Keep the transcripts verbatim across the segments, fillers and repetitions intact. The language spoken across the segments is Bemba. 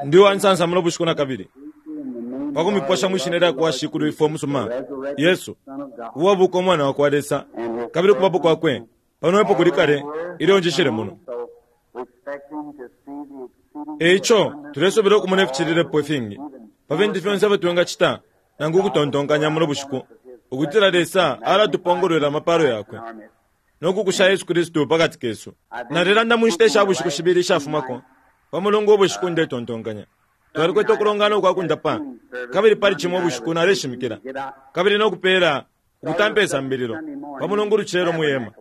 Ndi uwansansa muno bushiku nakabili pakumiposha mwishina lyakwa Shikulu ifwe umusuma Yesu, uwabuka Umwana wakwa Lesa, kabili ukubapo kwakwe pano epo kuli kale ilyo njishile muno. Eico tulesubila ukumona ificililepo ifingi pa fintu fyonse ifyo twingacita nangu ukutontonkanya muno bushiku, ukutila Lesa alatupongolwela amapalo yakwe no kukusha Yesu Kristu pakati kesu. Nalilanda mu nshita isha bushiku shibili ishafumako pa Mulungu ubushiku ndetontonkanya. Twalikwete ukulongana ukwa kundapa, kabili pali Cimo ubushiku naleshimikila, kabili no kupela ukutampa isambililo pa Mulungu ulucelo mwi hema.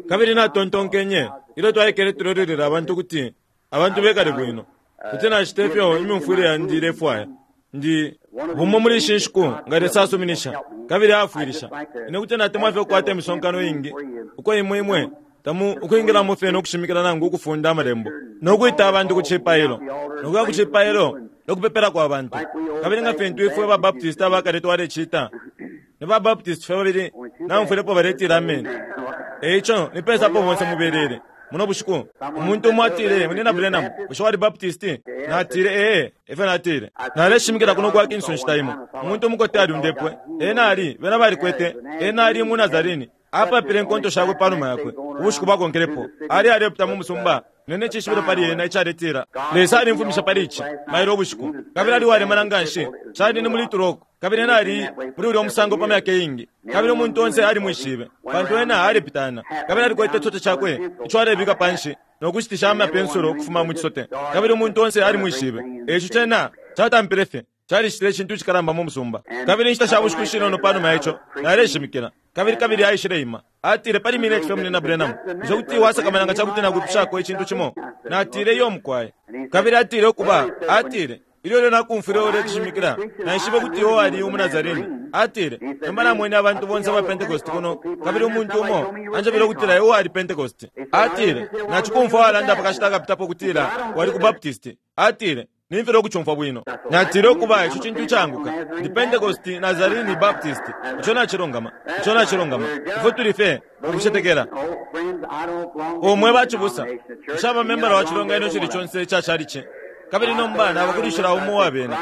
Kabili natontonkenye ilyo twaikele tulolelele abantu ukuti abantu bekale bwino, kuti nacita ifyo imyumfwile yandi ilefwaya. Ndi bumo muli ishi nshiku nga Lesa asuminisha kabili aafwilisha, ine kuti natemwa fye ukukwata imisonkano iingi uko imwe imwe tamu ukwingilamo fye no kushimikila nangu ukufunda amalembo no kwita abantu ku cipailo no kuya ku cipailo no kupepelako abantu. Kabili nga fintu ifwe ba Baptist abakale twalecita, ni ba Baptist fye babili naumfwilepo baletila ameni. Eico nipesapo bonse mubelele muno bushiku. Umuntu umo atile, Munyina Branham, bushe wali Baptist? Natile, ee, efyo natile. Naleshimikila kuno kwa Kingston nshita imo. Umuntu umukote aliundepwe. Ena ali, bena balikwete, ena ali mu Nazarene. Apapile inkonto shakwe panuma yakwe. Ubushiku bwakonkelepo, ali alepita mu musumba, nene icishibilo pali ena icaletila, Lesa alimfumisha pali ici, mailo ubushiku. Kabili ali uwalemana nganshi, cali ni muli Turoko. Kabili ena ali muli ulya musango pa myaka iingi. Kabili umuntu onse alimwishibe, pantu ena alepitana. Kabili alikwete icisote cakwe ico alebika panshi, no kushitisha amapensulo ukufuma mu cisote. Kabili umuntu onse alimwishibe. Eico cena catampile fye, calicitile icintu icikalamba mu musumba. Kabili inshita sha bushiku ishinono panuma ya ico, naleshimikila. Kabili kabili aishile ima. Atile, pali mineti fye, Munyina Branham, bushe kuti wasakamana nga cakuti nakwipushako icintu cimo? Natile, iyo mukwai. Kabili atile, ukuba, atile, ilyo ilyo nakumfwile uleshimikila, naishibe ukuti iwe wali umu Nazarene. Atile, nomba namwene abantu bonse aba Pentecost kuno, kabili umuntu umo anjebele ukutila iwe wali Pentecost. Atile, nacikumfwa walanda pa kashita akapitapo ukutila wali ku Baptist. Atile, nimfile ukucumfwa bwino. Natile, ukuba, ico cintu icaanguka. Ndi Pentecost, Nazarene, Baptist. Ico nacilungama. Ico nacilungama. Ifwe tuli fye ukucetekela. O mwe bacibusa, nshaba membala wa cilonganino icili conse ica calici, kabili nomba nabakulishila umo uwa bena.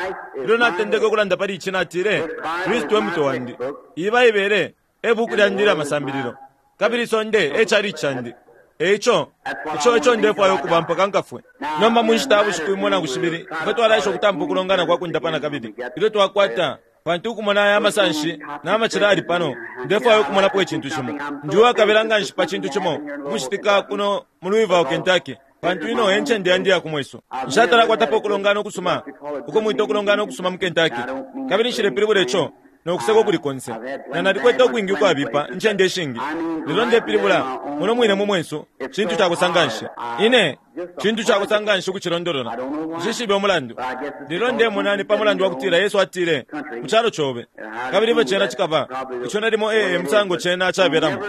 Ilyo natendeke ukulanda pali ici, natile, Kristu e mutwe wandi. Iyi Baibele e buku lyandi ilya masambililo, kabili isonde e calici candi. Eico, ico eco ndefwaya ukuba mpaka nkafwe. Nomba mu nshita ya bushiku imo nangu shibili, ifwe twalaesha ukutampa ukulongana kwa kundapa nakabili. Ilyo twakwata, pantu ukumona aya amasanshi na macila ali pano, ndefwaya ukumonapo icintu cimo. Ndi uwakabila nganshi pa cintu cimo ukucitika kuno mu Louisville, Kentucky, pantu ino e ncende yandi ya kumwesu. Nshatala kwatapo ukulongana ukusuma, uko mwita ukulongana ukusuma mu Kentucky. Kabili nshilepilibula ico no kuseka ukuli konse. Na nalikwete ukwingi ukwabipa incende ishingi. Lelo ndepilibula muno mwine mu mwesu, cintu cakosa nganshi. Ine, cintu cakosa nganshi ukucilondolola. Nshishibe umulandu. Lelo ndemona ni pa mulandu wa kutila Yesu atile, mu calo cobe, kabili ifyo cena cikaba, ico nalimo ee musango cena cabelamo.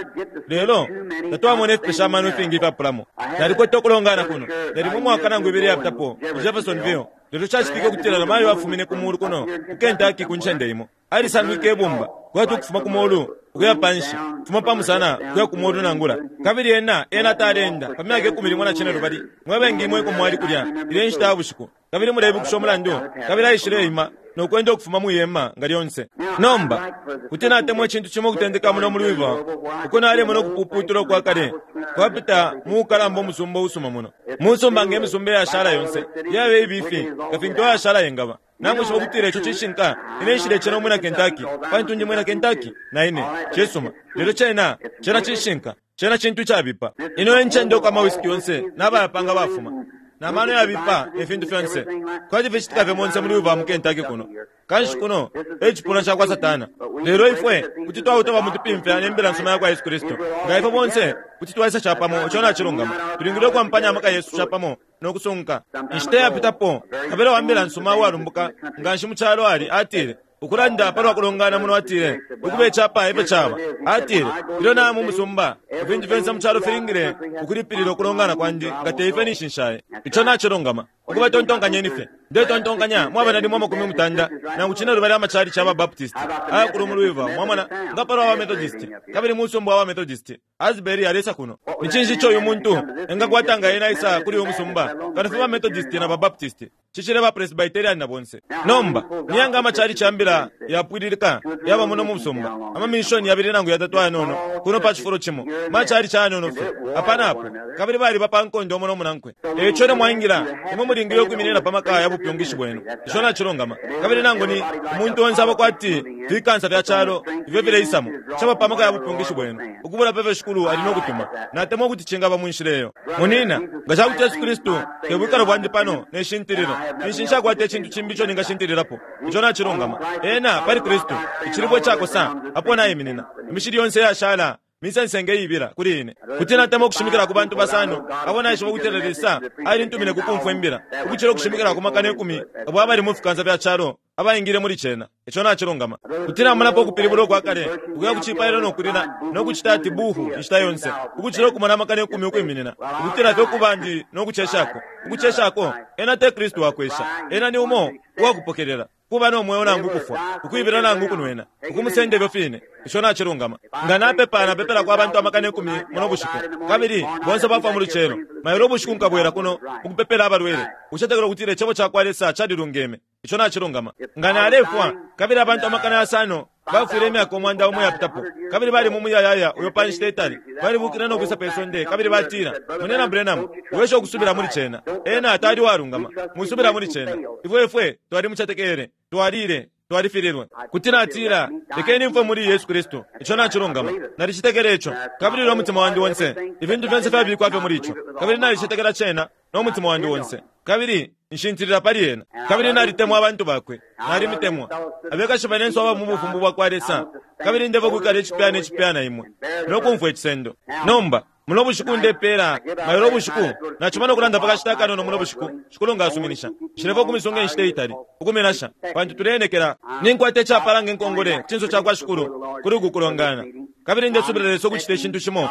Lelo tatwamona ifipesha amano ifingi ifyapulamo. Nalikwete ukulongana kuno, nalimo umwaka nangu ibili yapitapo, mu Jeffersonville. Lelo cacitike ukutila namayo afumine ku mulu kuno ku Kentucky ku ncende imo. Alisangwike ibumba, kwati ukufuma ku molu ukuya panshi, kufuma pa musana ukuya ku molu nangula. Kabili ena, ena taleenda pa myaka ikumi limo na cinelubali. Mwe bengi imwe eko mwali kulya ilya inshita ya bushiku, kabili muleibukisha umulandu. Kabili aishileima no kwenda ukufuma mwi hema nga lyonse. Nomba, kuti natemwa icintu cimo ukutendeka muno mu Louisville, uko nalemona ukupuputula ukwa kale kwapita mu ukalamba umusumba usuma muno. Musumba nge misumba iyashala yonse, yaba ibifi nga fintu ayashala yengaba. Namwishiba ukutila ico cishinka, ine nshilecena umwina Kentucky, pantu ndi mwina Kentucky, na ine. Cisuma. Lelo cena, cena cishinka. Cena cintu icabipa. Ino e ncende uko amawisiki yonse nabayapanga bafuma, na mano yabipa ne fintu fyonse, kwati ficitika fye monse muli Louisville mu Kentucky kuno. Kanshi kuno e cipuna ca kwa Satana. Lelo ifwe kuti twautoba mutupimfya ne mbila nsuma ya kwa Yesu Kristu. Nga ifwe bonse kuti twaisa capamo, ico nacilungama. Tulingile ukwampanya amaka yesu capamo no kusunka. Inshita yapitapo, kabila wa mbila nsuma uwalumbuka nganshi mu calo ali, atile, ukulanda palwa kulongana muno, atile, ukuba icapa efyo caba. Atile, ilyo naya mu musumba, ifintu fyonse mu calo filingile ukulipilila ukulongana kwandi, nga teifyo ninshi nshaye. Ico nacilungama. Ukuba tontonkanyeni fye. Ndetontonkanya mwaba nalimo amakumi mutanda nangu cinelubali amachalichi aba Baptist ayakulu mu Louisville, mwamona, nga palwa ba Methodist, kabili musumba wa Methodist. Asbury alesa kuno. Ni cinshi ico uyu muntu engakwata nga ena isa kuli uyu musumba kano fye ba Methodist na ba Baptist, cicile ba Presbyterian na bonse. Nomba niyanga amachalichi ambila yapwililika yaba muno mu musumba, amamishoni yabili nangu yatatu ayanono kuno pa cifulo cimo, machalichi ayanono fye apa napo, kabili baliba pa nkondo umo nomunankwe. Eico ne mwaingila imwe mulingile ukwiminina pa maka ya bupyungishi bwenu. Ico nacilungama. Kabili nangu ni umuntu onse aba kwati fikansa fya calo ifyo fileisamo caba pa maka ya bupyungishi bwenu, ukubula pefyo Shikulu ali nokutuma. Natemwa ukuti cingaba mu nshila eyo. Munina, nga cakuti Yesu Kristu te bwikalo bwandi pano ne shintililo, ninshi nshakwata icintu cimbi ico ningashintililako. Ico nacilungama. Ena pali Kristu icilibwe cakosa apo naiminina. Imishili yonse yashala misensenge ibila kuli ine. Kuti natemwa ukushimikila ku bantu basano abo naishiba ukutila Lesa alintumine ku kumfwa imbila, ukucila ukushimikila ku makana ikumi abo abali mu fikansa fya calo abaingile muli cena. Ico nacilungama. Kuti namonapo ukupilibula ukwa kale ukuya ku cipailo nokulila nokucita ati buhu inshita yonse, ukucila ukumona amakana ikumi ukwiminina, ukutila fye ukubandi nokuceshako. Ukuceshako ena te Kristu wakwesha, ena ni umo uwakupokelela kuba nomweo nangu kufwa, ukwibila nangu kunwena, ukumusenda ifyo fine. Ico nacilungama. Nga napepa napepela kwa bantu amakana ikumi muno bushiku, kabili bonse bafwa mu lucelo, mailo ubushiku nkabwela kuno ukupepela abalwele, ucetekela ukutila icebo cakwa Lesa calilungeme. Ico nacilungama. Nga nalefwa kabili abantu amakana yasano bafwile imyaka umwanda umo yapitapo, kabili bali mu muyayaya uyo pa nshita itali, balibukile nokwisa pe sonde, kabili batila, Munena Branham, wesha ukusubila muli cena. Ena tali walungama, musubila muli cena. Ifwe ifwe twalimucetekele, twalile, twalifililwe. Kuti natila, lekeni mfwe muli Yesu Kristu. Ico nacilungama. Nalicitekele ico, kabili no mutima wandi onse. Ifintu fyonse fyabikwa fye muli ico, kabili nalicitekela cena no mutima wandi onse, kabili nshintilila pali ena. Kabili nalitemwa abantu bakwe, nalimitemwa abekashi banenso aba mu bufumbu bwakwa Lesa, kabili ndeva kwikala icipya ne cipya na imwe nokumfwa icisendo. Nomba muno bushiku ndepela mailo bushiku nachuma nokulanda pakashita akanono muno bushiku, Shikulu nga asuminisha. Nshileva ukumisunga inshita itali ukuminasha, pantu tuleenekela ninkwata icapala ngenkongole ku cinso cakwa Shikulu kuli uku kulongana. Kabili ndesubila Lesa ukucita icintu cimo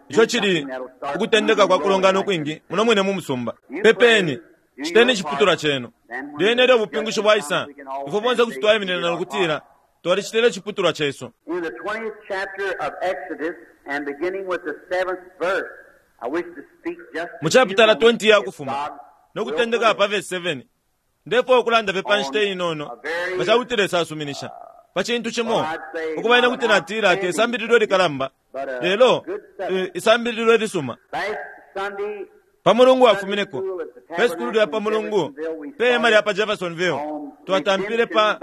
ico cili ukutendeka kwa kulongana ukwingi muno mwine mu musumba. Pepeni, citeni iciputulwa cenu. Lyene ilyo ubupingushi bwaisa, ifwe bonse kuti twaiminina nokutila twalicitile iciputulwa cesu. In the twentieth chapter of Exodus, and beginning with the seventh verse, I wish to speak just Mu chapitala twenty ya Kufuma, nokutendeka pa verse seven, ndefwaya ukulanda fye pa nshita inono nga cakuti Lesa asuminisha pa cintu cimo, ukuba ine kuti natila te sambililo likalamba, lelo isambililo lisuma. Last Sunday, Pa mulungu wafumineko pe sukulu lya pa mulungu pe hema lya pa Jeffersonville, twatampile pa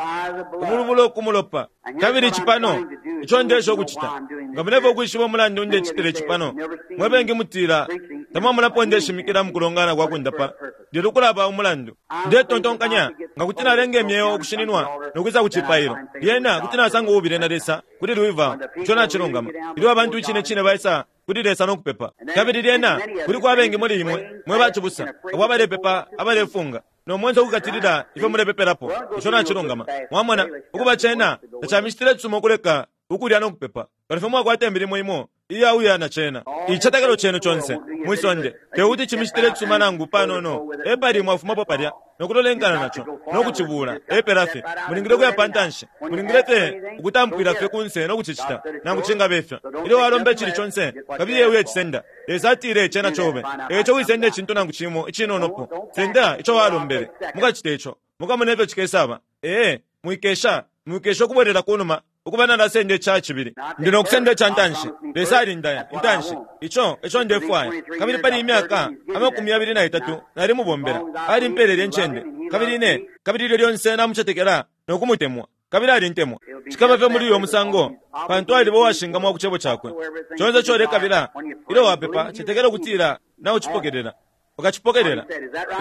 ubulubulo kumulopa. Kabili icipano ico ndesha ukucita, nga mulefwaya ukwishiba umulandu ndecitila icipano, mwe bengi mutila tamwamonapo ndeshimikila mu kulongana kwa kundapa, lelo kulaba umulandu. Ndetontonkanya nga kuti nalenga imyeo ukushininwa nokwisa ku cipailo, lyena kuti nasanga ububile na Lesa kuli Louisville. Ico nacilungama. Ilyo abantu icine cine baisa kuli Lesa nokupepa, kabili lyena kuliko abengi muli imwe mwe bacibusa abo abalepepa abalefunga nomwenso ukukatilila ifyo mulepepelapo. Ico nacilungama. Mwamona ukuba cena tacamicitile cisuma ukuleka ukulya nokupepa, kano fye mwakwata imilimo imo iyauya na cena. Icicetekelo cenu conse mwisonde tekuti cimicitile cisuma nangu panono, epali mwafumapo palya nokulolenkana naco nokucibula epela fye. Mulingile ukuya pa ntanshi, mulingile fye ukutampwila fye kunse nokucicita nangu cingabe ifyo. Ilyo walomba icili conse kabili uye cisenda, Lesa atile cena cobe. Eco wisenda icintu nangu cimo icinonopo, senda ico walombele. Mukacita ico, mukamona ifyo cikesaba. Ee, mwikesha mwikesha ukubwelela kunuma ukuba nalasenda ica cibili, ndi nokusenda ica ntanshi. Lesa alindaya intanshi, ico eco ndefwaya. Kabili pali imyaka amakumi yabili na itatu nalimubombela, alimpelele incende, kabili ine kabili ilyo lyonse namucetekela nokumutemwa, kabili alintemwa. Cikaba fye muli uyo musango, pantu aliba uwashingamwa ku cebo cakwe. Conse ico ulekabila ilyo wapepa, cetekela ukutila naucipokelela, ukacipokelela.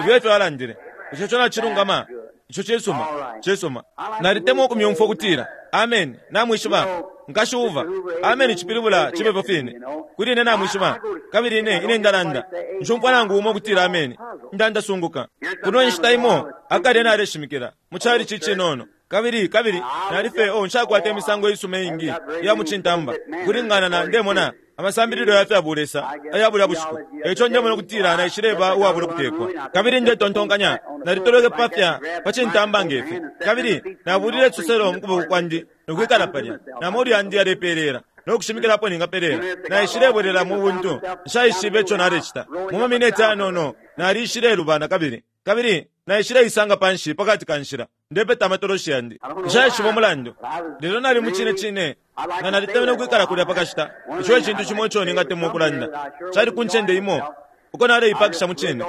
Ifyo efyo alandile. Ico co nacilungama. Ico cisuma, cisuma. Nalitemwa ukumyumfwa ukutila amen. Namwishiba nkashi Uva, amen cipilibula cibepo fine kuli ine. Namwishiba kabili ine ine ndalanda nshumfwa nangu umo ukutila amen, ndandasunguka. Kuno inshita imo akale naleshimikila mu chalichi cinono, kabili kabili nalife oh nshakwata imisango isuma ingi iya mucintamba kulingana na ndemona Amasambililo ya fya bulesa aya bulya bushiku. Eico ndemona ukutila naishileba uwabula ukutekwa. Kabili ndetontonkanya nalitolweke pafya pa cintamba ngefi. Kabili nabulile icisoselo mu kuboko kwandi nokwikala palya. Namolu yandi yalepelela no kushimikilapo ningapelela. Naishilebwelela mu buntu, nshaishibe ico nalecita. Mu mamineti ayanono nalishilelubana kabili. Kabili naishileisanga panshi pakati ka nshila, ndepeta amatoloshi yandi. Nshaishiba umulandu, lelo nali mu cine cine nga nalitemenwe ukwikala kulya pakashita. Ico e cintu cimo ico ningatemwa ukulanda. Cali ku ncende imo uko naleipakisha mu cine.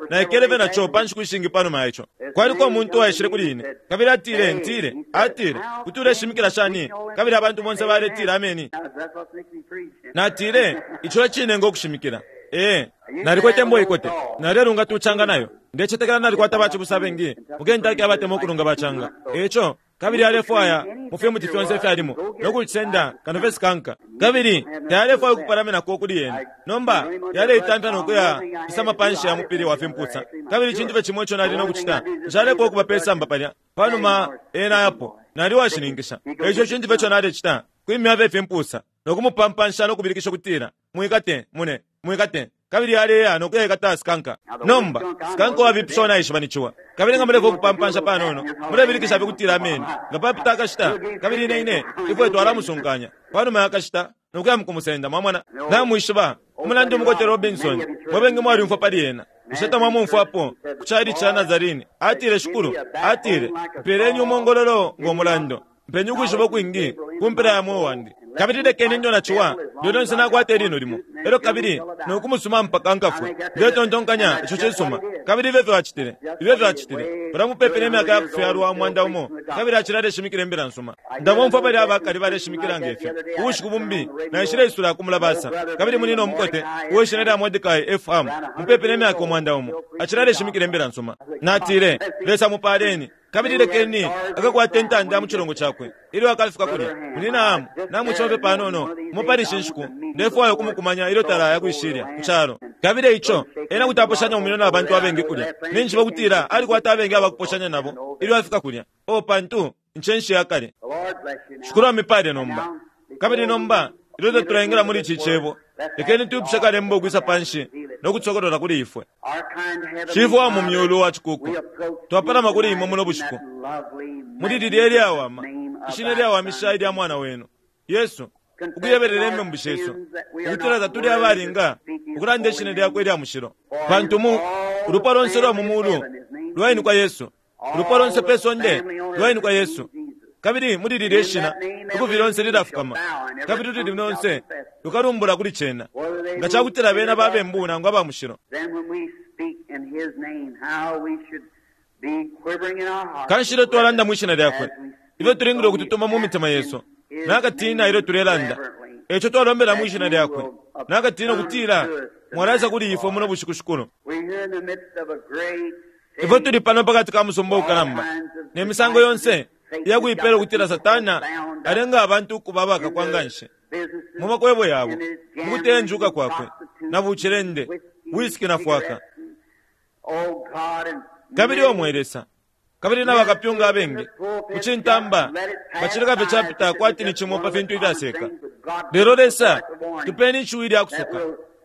Naikele fye naco pa nshiku ishingi panuma ya ico. Kwaliko umuntu uwaishile kuli ine, kabili atile, ntile, atile, kuti uleshimikila shani, kabili abantu bonse baletila ameni. Natile, ico e cine ngo kushimikila. Ee, nalikwete imbo ikote, nalelunga tucanga nayo. Ndecetekela nalikwata bacibusa abengi mu Kentucky abatemwa ukulunga bacanga. Eico, kabili alefwaya mu fimuti fyonse ifyalimo no kucisenda kano fye sikanka. Kabili tayalefwaya ukupalaminako kuli yena. Nomba yaleitamfya no kuya fisama panshi ya mupili wa fimpusa. Kabili icintu fye cimo ico nali no kucita, nshalefwaya ukuba pe samba palya. Panuma ena ayapo, nali uwashininkisha. Eico icintu fye ico nalecita, kwimya fye ifimpusa no kumupampansha no kubilikisha ukutila, mwikate, mune, mwikate. Kabili aleya no kuyaikata sikanka. Nomba, sikanka uwabipisha naishiba ni ciwa. Kabili nga mulefwaya ukupampansha panono, mulebilikisha fye ukutila ameni. Nga papita akashita, kabili ine ine, ifwe twalamusunkanya. Panuma ya kashita, no kuya mukumusenda, mwamona. Namwishiba, umulandu umukote Robinson, mwe bengi mwalyumfwa pali ena. Bushe tamwamumfwapo ku cali ca Nazarene? Atile, Shikulu, atile, mpeleni umongololo ngo mulando. Mpeni ukwishiba ukwingi ku mpela ya mweo wandi. Kabili lekeni ndo na ciwa, lyo lyonse nakwata ilino limo. Elyo kabili nokumusuma mpaka nkafwe. Ndetontonkanya ico cisuma. Kabili ifyo fyo acitile, ifyo fyo acitile. Balamupepe ne myaka ya kufyalwa umwanda umo, kabili acila aleshimikila imbila nsuma. Ndabomfwa bali abakali baleshimikila ngefyo. Ubushiku bumbi, naishileisula ku mulabasa. Kabili munina umukote, uweshina lya Mordecai F. Ham, mupepe ne myaka umwanda umo, acila aleshimikila imbila nsuma. Natile, Lesa mupaleni. Kabili lekeni akakwata intanda mu cilongo cakwe. Ilyo akafika kulya, munina Ham, namucofe panono, mupalishe nshiku, ndefwaya ukumukumanya ilyo talaya kwishilya ku calo. Kabili ico, ena kuti aposhanya mu minwe na bantu abengi kulya. Ninjishiba ukutila alikwata abengi abakuposhanya nabo ilyo afika kulya. O pantu, incenshi ya kale. Shikulu amipale nomba. Kabili nomba, ilyo tatulaingila muli ici cebo, lekeni tuipushe kalembo ukwisa panshi no kutsokolola kuli ifwe. Shifwe wa mu myulu wa cikuku, twapalama kuli imwe muno bushiku. Muli lilya ilyawama, ishina ilyawamisha ilya mwana wenu, Yesu, ukuyebelela imembu shesu, ukutila tatuli abalinga ukulanda ishina lyakwe ilya mushilo. Pantu mu ulupwa lonse lwa mu mulu lwainikwa Yesu, ulupwa lonse pe sonde lwainikwa Yesu. Kabili muli lilya ishina ikufi lyonse lilafukama, kabili ululimi lonse lukalumbula kuli cena, nga cakutila bena babembu nangu aba mushilo. Kanshi ilyo twalanda mwishina lyakwe, ifyo tulingile ukututuma mu mitima yesu, nakatina ilyo tulelanda, eco twalombela mwishina lyakwe, nakatina ukutila mwalaisa kuli ifwe muno bushiku shikulu. Ifwe tuli pano pakati ka musumba ukalamba, ne misango yonse iyakuipela ukutila Satana alenga abantu ukuba abakakwa nganshi mu makwebo yabo, mu kutenjuka kwakwe, na bucilende, wisiki na fwaka. Kabili omwe Lesa, kabili nabakapyunga abengi ku cintamba bacileka fye capita kwati ni cimo pa fintu ibyaseka. Lelo Lesa, tupeni ishiwi lya kusoka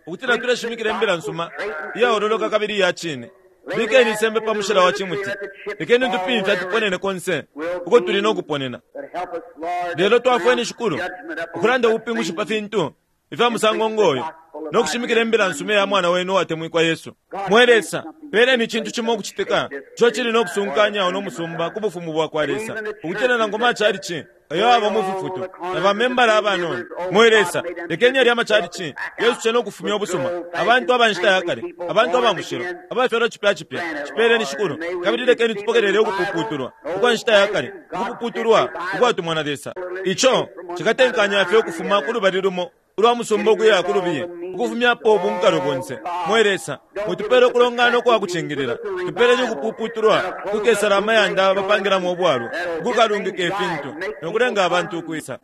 ukutila tuleshimikila imbila nsuma iyaololoka kabili iya cine. Bikeni isembe pa mushila wa cimuti, lekeni tupimfya tuponene konse uko tuli no kuponena. Lelo twafweni Shikulu ukulanda ubupingushi pa fintu ifya musango ngoyo, no kushimikila imbila nsuma ya mwana wenu uwatemwikwa Yesu. Mwe Lesa, peleni icintu cimo ukucitika ico cili no kusunkanya uno musumba ku bufumu bwa kwa Lesa, ukutila nangu macalici ayo aba mu fifutu na bamembala abanono. Mwe Lesa, lekeni yalya macalici Yesu cena ukufumya ubusuma, abantu aba nshita ya kale, abantu aba mushilo, abafyalwa cipya cipya. Cipeleni Shikulu, kabili lekeni tupokelele ukupuputulwa ukwa nshita ya kale, ukupuputulwa ukwatumwa na Lesa. Ico cikatenkanya fye ukufuma ku lubali lumo ulwa musumba ukuya ku lubiye, ukufumyapo ubunkalo bonse. Mwe Lesa, mutupele ukulongana ukwa kucingilila, tupeleni ukupuputulwa kukesala amayanda bapangilamo ubwalwa, ukukalungika ifintu nokulenga abantu ukwisa.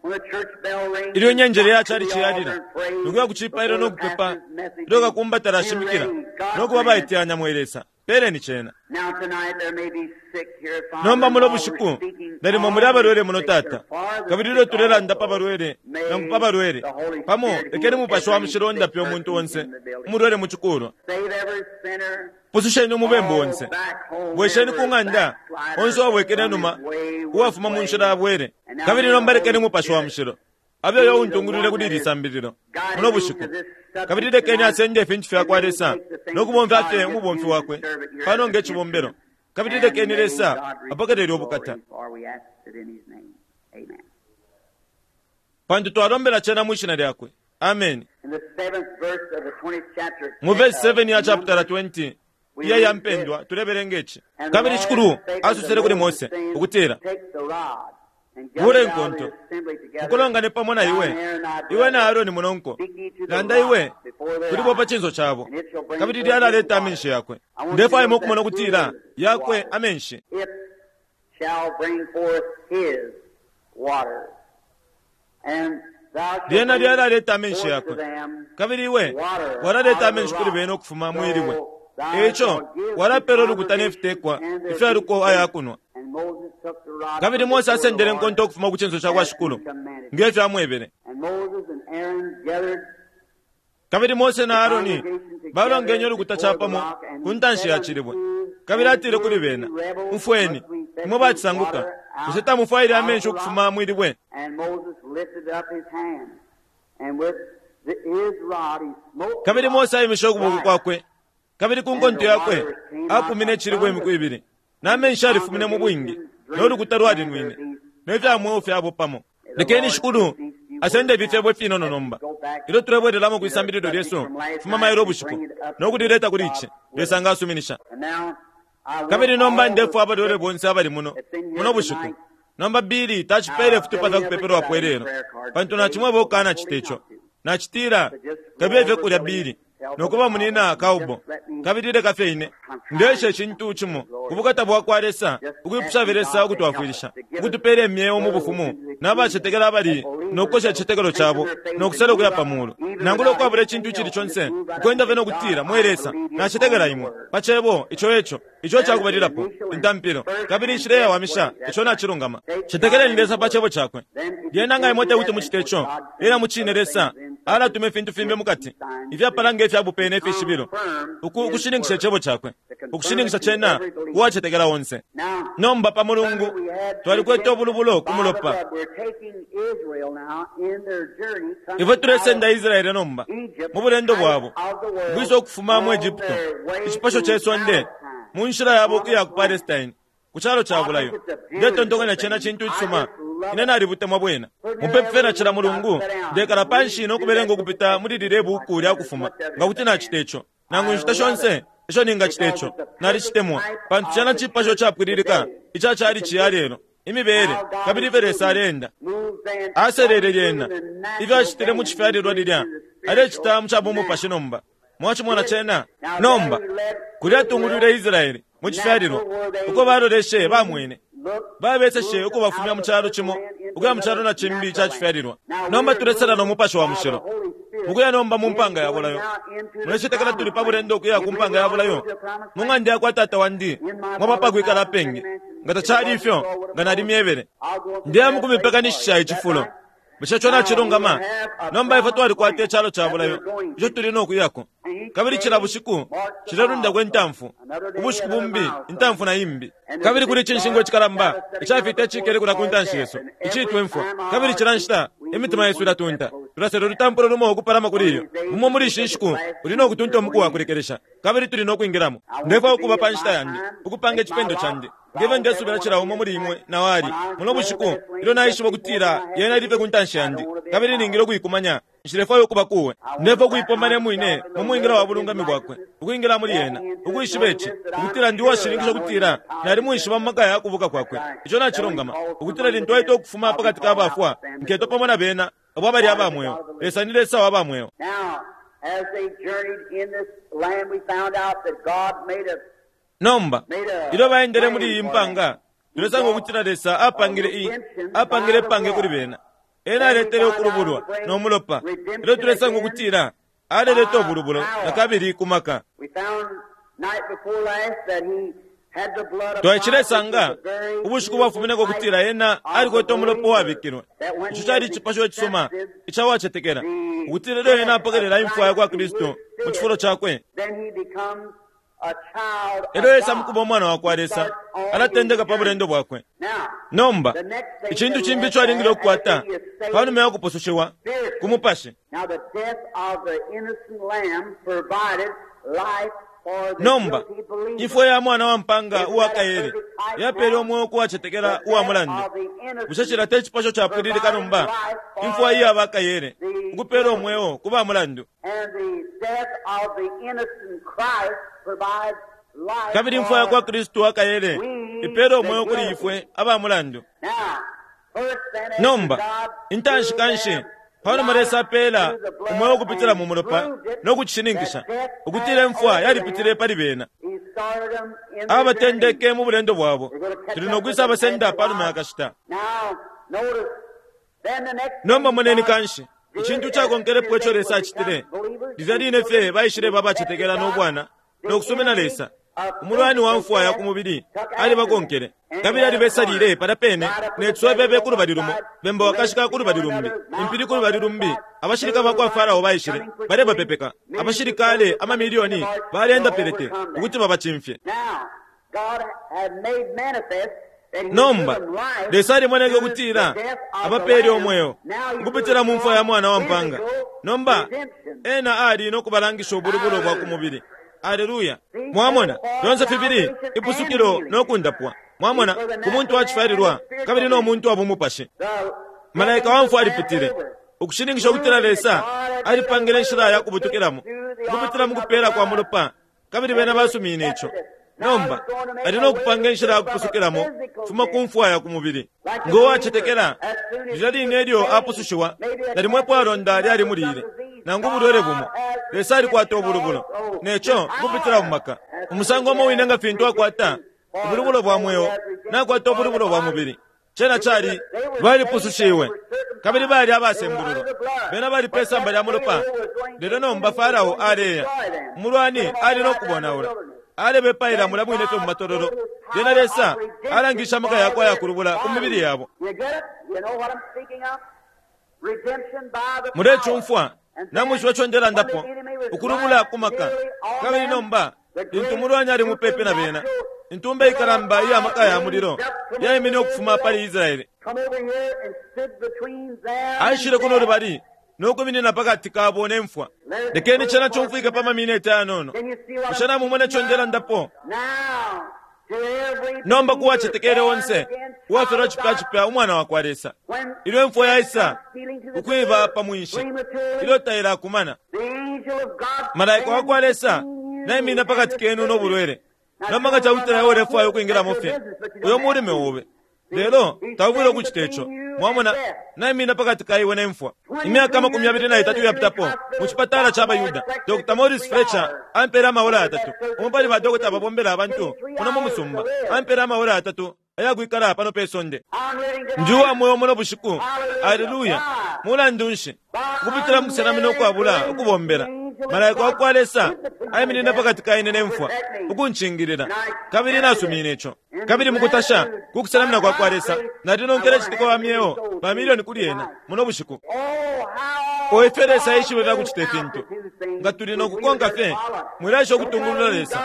Ilyo inyenjele ya calici yalila, nokuya ku cipailo no kupepa, ilyo kakumba talashimikila, nokuba baiteyanya mwe Lesa. Peleni cena. Nomba muno bushiku nalimo muli abalwele muno, Tata, kabili ilyo tulelanda pa balwele nangu pa balwele pamo, lekeni Mupashi wa Mushilo ondape umuntu onse umulwele mu cikulwa. Pususheni umubembu onse, bwesheni ku ng'anda onse uwabwekele numa uwafuma mu nshila yabwele. Kabili nomba lekeni Mupashi wa Mushilo abe uyo untungulwile kuli ili sambililo muno bushiku, kabili lekeni asende ifintu fyakwa Lesa no kubomfya fye umubomfi wakwe pano nge cibombelo, kabili lekeni Lesa apokelele ubukata, pantu twalombela cena mwishina lyakwe. Amen. Mu verse seven ya chapter twenty iya ya mpendwa tulebelenga ici: Kabili Shikulu asosele kuli Mose ukutila, bule nkonto mukulongane pamo na iwe, iwe na Aaroni munonko, landa iwe kulibo pa cinso cabo, kabili lyalaleta amenshi yakwe. Ndefwaya ukumona ukutila yakwe amenshi lyena lyalaleta amenshi yakwe, kabili iwe walaleta amenshi kuli bene ukufuma mwilibwe. Eico walapela ulukuta nefitekwa ifyaluko ayakunwa. Kabili Mose asendele nkonto ukufuma ku cinso cakwa Shikulu ngefyo amwebele. Kabili Mose na Aaroni balongenye ulukuta capamo ku ntanshi ya cilibwe, kabili atile kuli bena, umfweni imwe bacisanguka, bushe tamufwaile amenshi ukufuma mwilibwe? Kabili Mose aimishe ukuboko kwakwe, kabili ku nkonto yakwe apumine icilibwe imiku ibili, na amenshi alifumine mu bwingi, no lukuta lwalinwine ne fya mweo fyabo pamo. Lekeni Shikulu asende ifi fyebo ifinono nomba ilyo tulebwelelamo kwisambililo lyesu fuma mailo ubushiku no kulileta kuli ici, Lesa nga asuminisha. Kabili nomba ndefwa abalwele bonse abali muno muno bushiku. Nomba Bili tacipele ifitupa fya kupepelwapo ilelo, pantu nacimweba ukukana cita ico. Nacitila kabiye fye kulya Bili nokuba munina kaubo, kabili leka fye ine ndeshe icintu cimo kubukata bwakwa Lesa, ukwipusha Lesa ukutwafwilisha ukutupela imyeo mu bufumu n'abacetekela abali nokukosha icicetekelo cabo nokusala ukuya pa mulu, nangula ukwabula icintu icili conse ukwenda fye nokutila, mwe Lesa, nacetekela imwe pa cebo ico eco ico cakubalilapo intampilo, kabili inshila iyawamisha ico nacilungama. Cetekeleni Lesa pa cebo cakwe. Lyena nga imwe tekuti mucite ico, lyena mucine Lesa alatuma ifintu fimbi mukati ifyapala nge fyabupe ne fishibilo ukushininkisha icebo cakwe, ukushininkisha cena uwacetekela onse. Nomba pa mulungu twalikwete ubulubulo ku mulopa. Ifwe tulesenda Israele nomba mu bulendo bwabo ukwisa ukufuma mu Egypto, icipasho ce sonde, mu nshila yabo ukuya ku Palestine, ku calo ca bulayo. Ndetontonkanya cena cintu icisuma. Ine nalibutemwa bwena. Mupepi na cila mulungu ndekala panshi nokubelenga ukupita muli lile buku lya kufuma, nga kuti nacita ico nangu inshita shonse isho ningacita ico. Nalicitemwa pantu cena cipasho capwililika ica cali ciya lelo imibele, kabili ifyo Lesa aleenda aselele lyena ifyo acitile mu cifyalilwa lilya alecita mu cabumupashi nomba. Mwacimona cena nomba kulya atungulwile Israeli mu cifyalilwa uko baloleshe bamwene babeseshe ukubafumya mu calo cimo ukuya mu calo na cimbi ca cifyalilwa. Nomba tulesela no Mupashi wa Mushilo mukuya nomba mu mpanga ya bulayo. Mulecetekela tuli pa bulendo ukuya ku mpanga ya bulayo mu ng'anda yakwa Tata wandi mwaba pakwikala apengi. Nga tacali ifyo nga nalimyebele. Ndiya mukumipekanishisha icifulo. Bushe ico nacilungama? Nomba ifwe twalikwata icalo ca bulayo ico tuli nokuyako, kabili cila bushiku cilelundako intamfu, ubushiku bumbi intamfu na imbi. Kabili kuli icinshingwa icikalamba icafita icikele kulya ku ntanshi yesu iciitwa imfwa, kabili cila nshita imitima yesu ilatunta. Tulasela ulutampulo lumo ukupalama kuli iyo. Mumo muli ishi nshiku uli nokutunta umuku wa kulekelesha, kabili tuli nokwingilamo. Ndefwaya ukuba pa nshita yandi ukupanga icipendo candi ngefyo ndesubila cila umo muli imwe na wali muno bushiku ilyo naishiba ukutila yena ilife ku ntanshi yandi, kabili ningile ukuikumanya. Nshilefwaya ukuba kuwe. Ndefwaya ukuipomba ne mwine mu mwingila wa bulungami bwakwe, ukwingila muli yena, ukwishiba ici ukutila ndi uwashininkisha ukutila nalimwishiba mu maka ya kubuka kwakwe. Ico nacilungama, ukutila lintu aita ukufuma pakati ka bafwa nketwa pamo na bena abo abali aba mweo. Lesa ni Lesa wa ba mweo. Nomba ilyo baendele muli iyi mpanga, tulesanga ukutila Lesa apangile i apangile ipange kuli bena. Ena aletele ukulubulwa no mulopa. Ilyo tulesanga ukutila aleleta ubulubulo na kabili ku maka. Twaishilesanga ubushiku bwafumineko ukutila ena alikwete umulopa uwabikilwe. Ico cali icipasho icisuma ica wacetekela, ukutila ilyo ena apokelela imfwa ya kwa Kristu mu cifulo cakwe, elyo esa mukuba umwana wa kwa Lesa, alatendeka pa bulendo bwakwe. Nomba icintu cimbi ico alingile ukukwata panuma ya kupusushiwa ku mupashi. Nomba imfwa ya mwana wa mpanga uwa kaele yapele umweo kuwacetekela uwa mulandu. Bushe cila te cipasho capwililika nomba? Imfwa iya ba kaele ukupela umweo ku ba mulandu, kabili imfwa ya kwa Kristu wa kaele ipela umweo kuli ifwe aba mulandu. Nomba intanshi kanshi panuma Lesa apela umweo ukupitila mu mulopa no kucishininkisha ukutila imfwa yalipitile pali bena, abatendeke mu bulendo bwabo. Tuli no kwisa abasenda panuma ya kashita. Nomba moneni kanshi icintu cakonkelepo ico Lesa acitile. Lilya line fye baishile babacetekela no bwana no kusumina Lesa. Umulwani wa mfwa ya ku mubili alibakonkele, kabili alibesalile palya pene ne tswebebe ku lubali lumo, bemba wakashika ku lubali lumbi, impili ku lubali lumbi. Abashilika ba kwa Farao baishile balebapepeka. Abashilikale amamilioni balenda pelete ukuti babacimfye. Nomba Lesa alimoneke ukutila abapele umweo ukupitila mu mfwa ya mwana wa mpanga. Nomba ena ali no kubalangisha ubulubulo bwa ku mubili. Aleluya! Mwamona fyonse fibili, ipusukilo no kundapwa. Mwamona ku muntu wacifyalilwa kabili no muntu wa bumupashi. Malaika wa mfwa alipitile ukushininkisha ukutila Lesa alipangile inshila ya kubutukilamo ukupitila mu kupela kwa mulopa, kabili bena basumine ico. Nomba ali no kupanga inshila ya kupusukilamo fuma ku mfwa ya ku mubili. Ngo wacetekela lilya line ilyo apusushiwa, nalimwepo alonda lyali mulile nangu ubulwele bumo, Lesa alikwata ubulubulo neco kupitila mu maka. Umusango umo wine nga fintu akwata ubulubulo bwa mweo, nakwata ubulubulo bwa mubili. Cena cali balipusushiwe kabili bali abasembululwa, bena bali pe samba lya mulopa. Lelo nomba Farao aleya, umulwani ali no kubonaula, alebepaila mula mwine fye mu matololo. Lyena Lesa alangisha amaka yakwe ayakulubula ku mibili yabo. Mulecumfwa namwishiba ico ndelandapo, ukulubula ku maka. Kabili nomba lintu umulwani ali mupepi na bena, intumba ikalamba iya maka ya mulilo yaimine ukufuma pali Israeli. Aishile kuno lubali no kuminina pakati kabo ne mfwa. Lekeni cena cumfwike pa mamineti ayanono. Bushe namumona ico ndelandapo? Nomba kuwacetekele onse uwafyalwa cipya cipya umwana wa kwa Lesa, ilyo imfwa yaisa ukwiba pa mwinshi, ilyo tailakumana, malaika wa kwa Lesa naimina pakati kenu no bulwele. Nomba nga cakutila iwe ulefwaya ukwingilamo fye uyo mulime obe, lelo taufwile ukucita ico. Mwamona, naimina pakati ka iwe ne mfwa. Imyaka makumi abili na itatu yapitapo mu cipatala ca Bayuda, Doctor Morris Fletcher ampele amaola yatatu. Umo pali ba dokota ababombela abantu muno mu musumba ampele amaola yatatu ayakwikala pano pe sonde. Ndi uwa mweo muno bushiku. Aleluya! Mulandu nshi? Ukupitila mu kusenamina ukwabula ukubombela, malaika wa kwa Lesa aiminina pakati ka ine ne mfwa ukuncingilila, kabili nasumine ico. Kabili mukutasha ku kusenamina kwa kwa Lesa, nalinonkele citika wa myeo mamilioni kuli ena muno bushiku. O ifyo Lesa aishibe fyakucita ifintu! Nga tuli no kukonka fye, mwilaisha ukutungulula Lesa.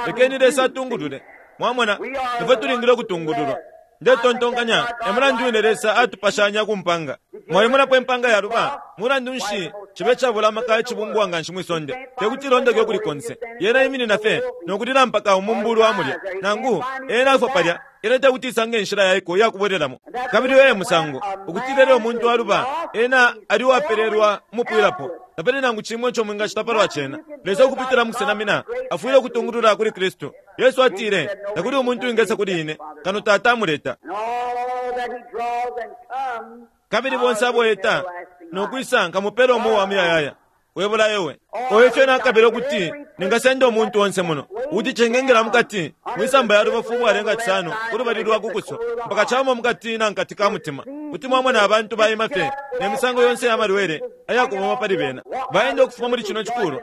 Lekeni Lesa atungulule. Mwamona, ifwe tulingile ukutungululwa. Ndetontonkanya e mulandu wine Lesa atupashanya ku mpanga. Mwalimunapo impanga yaluba? Mulandu nshi cibe cabula amaka icibumbwa nga nshi mwisonde tekuti ilondeke ukuli konse. Yena iminina fye nokulila mpaka umumbulu amulya, nangu ena afwa palya, ena tekuti isange inshila yaiko iyakubwelelamo. Kabili uyo e musango ukutila ilyo umuntu aluba, ena ali uwapelelwa umupwilapo. Tapali nangu cimwe ico mwingacita palwa cena. Lesa ukupitila mu kusenamina afwile ukutungulula kuli Kristu. Yesu atile, takuli umuntu wingesa kuli ine kano Tata amuleta. Kabili bonse aboeta nokwisa nkamupela umweo wa muyayaya. Webula ewe oyo ifyo nakabila ukuti ningasenda umuntu onse muno ukuti cengengela mukati mwisamba ya lubafu ubwalenga cisano kulubali lwa kukuso mpaka camo mukati na nkati ka mutima, kuti mwamona abantu baima fye ne misango yonse ya malwele ayakuboma pali bena. Baenda ukufuma muli cino cikulu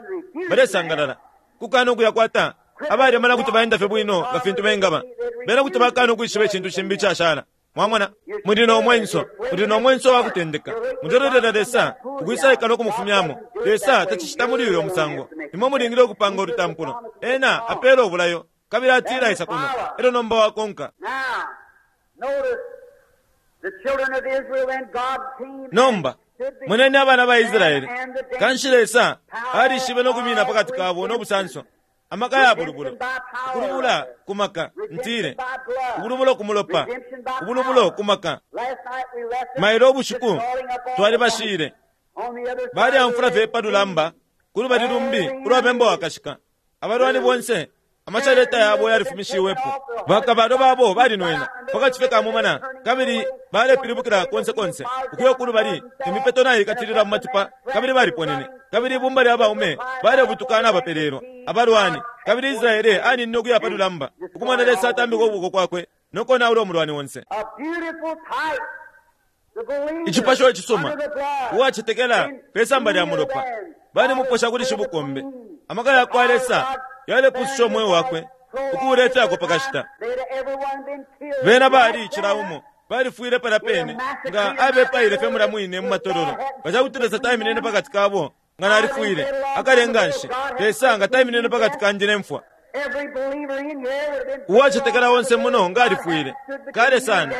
balesangalala kukana ukuyakwata Abalemana kuti baenda fye bwino nga fintu bengaba. Bena kuti bakana ukwishiba icintu cimbi icashala. Mwamona, muli no mwenso, muli no mwenso wa kutendeka. Mulelolela Lesa ukwisaika no kumufumyamo. Lesa tacicita muli uyo musango. Imwe mulingile ukupanga ulutampulo. Ena apela ubulayo, kabili atila isa kuno. Elyo nomba wakonka. Nomba, moneni abana ba Israele. Kanshi Lesa alishibe no kumina pakati kabo no busanso. Amaka ya bulubulo. Ukulubula kumaka, ntile. Ubulubulo kumulopa. Ubulubulo kumaka. Mailo ubushiku twalibashile. Bali amfula fye palulamba kulubali lumbi ulwa bemba wakashika. Abalwani bonse amachaleta yabo yalifumishiwepo. Bakabalo babo balinwena pakati fye kamumana, kabili balepilibukila konse konse ukuya kulubali. Imipeto naikatilila mu matipa, kabili baliponene. Kabili ibumba lya baume balebutukana abapelelwa abalwani. Kabili Israele aninine ukuya palulamba ukumona Lesa atambika ukuboko kwakwe nokonaula umulwani onse. Icipasho icisuma uwacetekela pe samba lya mulopa balimuposha kuli shibukombe. Amaka ya kwa Lesa yalepusisha umweo wakwe ukuulefyako pakashita. Bena bali cila umo balifwile pala pene nga abepaile fye mula mwine mu matololo. Nga Lesa taiminine pakati kabo nga nalifwile akalenga nshi. Lesa nga taiminine pakati kanje ne mfwa. Uwacetekela onse muno nga alifwile kale sana.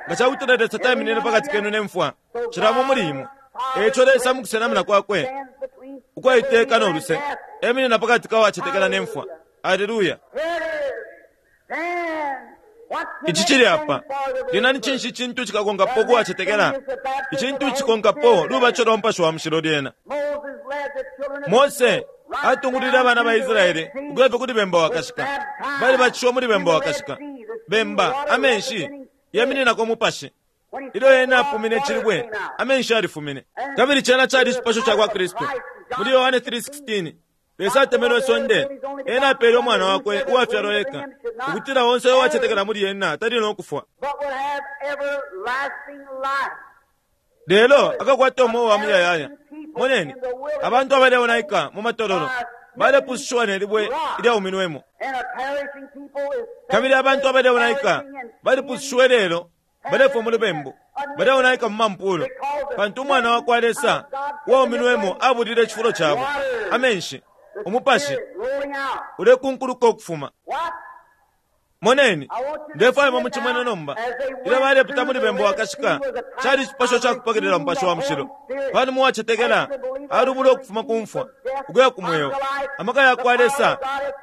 Nga cakuti Lesa taiminine pakati kenu ne mfwa, cilamo muli imwe. Eco Lesa mukusenamina kwakwe ukwaiteka no luse eminina pakati ka wacetekela ne mfwa. Aleluya. Ici cili apa. Lina ni cinshi icintu cikakonkapo ukuwacetekela? Icintu cikonkapo lubaco lwa Mupashi wa Mushilo lyena. Mose atungulile abana ba Israele ukuya fye kuli bemba wakashika. Bali bacishiwa muli bemba wakashika. Bemba, amenshi yamininako umupashi. Ilyo ena afumine icilibwe, amenshi alifumine. Kabili cena cali icipasho ca kwa Kristu. Muli Yohane three sixteen, Lesa atemenwe isonde, ena apele umwana wakwe uwafyalwa eka, ukutila onse uwacetekela muli ena tali no kufwa, lelo akakwata umweo wa muyayaya. Moneni, abantu abaleonaika mu matololo balepusishiwa ne libwe ilyauminwemo. Kabili abantu abaleonaika balipusishiwe lelo balefwa mu lubembu, baleonaika mu mampulo, pantu umwana wa kwa Lesa uwauminwemo abulile icifulo cabo. Amenshi, umupashi ulekunkuluka ukufuma. Moneni, ndefwaya mu cimwene nomba. Ilyo balepita muli bemba wakashika, cali icipasho ca kupokelela Mupashi wa Mushilo. Panuma uwacetekela alubula ukufuma ku mfwa ukuya ku mweo. Amaka ya kwa Lesa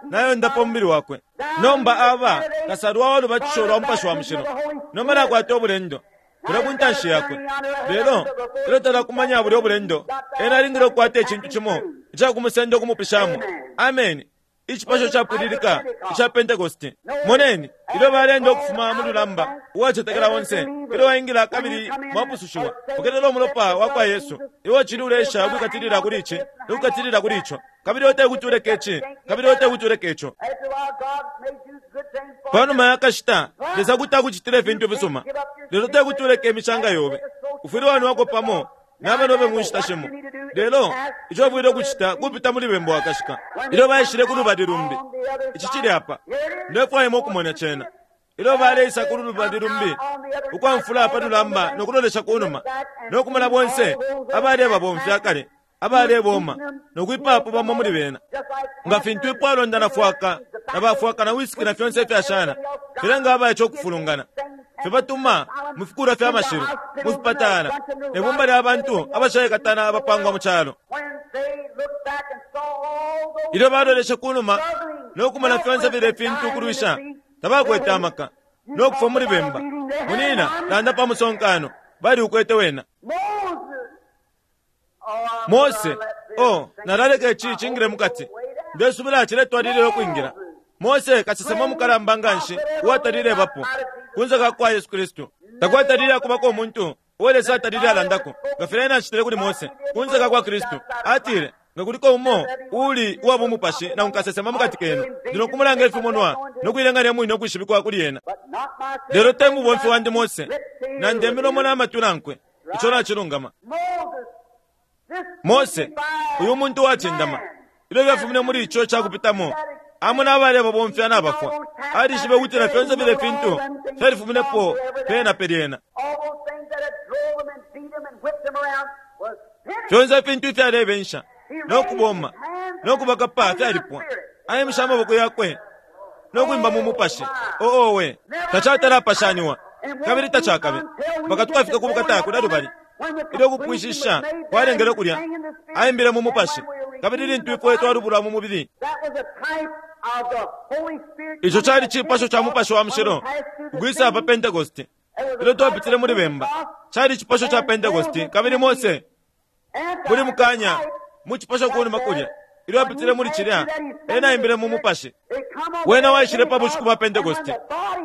nayondapo umubili wakwe. Nomba aba kasalwa wa lubatisho lwa Mupashi wa Mushilo. Nomba nakwata ubulendo kulya ku ntanshi yakwe. Lelo ilyo talakumanya bulya ubulendo, ena alingile ukukwata icintu cimo icakumusenda ukumupishamo. Ameni. Icipasho capwililika ica Pentecosti. Moneni, ilyo balenda ukufuma mu lulamba, uwacetekela onse ilyo waingila kabili mwapusushiwa, pokelela umulopa wa kwa Yesu. Iwe cili ulesha ukwikatilila kuli ici nokukatilila kuli ico, kabili ote kuti uleke ici, kabili ote kuti uleke ico. Panuma ya kashita, Lesa kuti akucitila ifintu fisuma, lelo te kuti uleke imishanga yobe. Ufwile wanwako pamo nabanobe mu nshita shimo. Lelo ico bwile ukucita kupita muli bemba wakashika. Ilyo baishile ku lubali lumbi, ici cili apa. Ndefwaya ukumona cena. Ilyo baleisa ku lubali lumbi, ukwamfula pa lulamba no kulolesha ku numa, no kumona bonse abalebabomfya kale, abaleboma, no kwipapo bamo muli bena. Nga fintu ipwalonda na fwaka, na bafwaka na wisiki na fyonse ifyashana, filenga abaice ukufulungana. Fibatuma mu fikulwa fya mashilu, mu fipatala, ne bumba lya bantu abashaikatana abapangwa mu calo. Ilyo baloleshe ku numa no kumona fyonse filya ifintu kulwisha, tabakwete amaka no kufwa muli bemba. Munina landa pa musonkano, bali ukwete wena. Mose, oh, nalaleka ici cingile mukati. Ndesubila ciletwalilila ukwingila. Mose kasesema mukalamba nganshi uwatalile bapo kunze ka kwa Yesu Kristu. Takwatalile akubako umuntu uo Lesa atalile alandako nga filya ena acitile kuli Mose kunze ka kwa Kristu. Atile, nga kuliko umo uli uwa bumupashi na unkasesema mukati kenu, ndi no kumulanga ifimonwa no kuilenganya mwine ukwishibikwa kuli ena. Lelo te mubomfi wandi Mose, na ndemilomo na matwi nankwe. Ico nacilungama. Mose, uyu muntu wacindama, ilyo byafumine muli ico cakupitamo, Amona abalebabomfya nabafwa. Alishibe ukutila fyonse file fintu fyalifuminepo pena pe lyena. All those things that had drove them and beat them and whipped them around was finished. Fyonse ifintu ifyalebensha no kuboma no kubakapa fyalipwa. Aimisha amaboko yakwe no kwimba mu mupashi. Oowe, tacatalapashaniwa kabili tacakabe mpaka tukafika ku bukata kulya lubali. Ilyo kupwishisha kwalengele kulya, aimbile mu mupashi, kabili lintu ifwe twalubulwa mu mubili. That was a type of the Holy Spirit. Ico cali cipasho ca mupashi wa mushilo ukwisa pa Pentekoste. Ilyo twapitile muli bemba, cali cipasho ca Pentekoste, kabili Mose muli mukanya mu cipasho kunuma kulya. Ilyo apitile muli cilya, ena aimbile mu mupashi. Wena waishile pa bushiku bwa Pentekoste,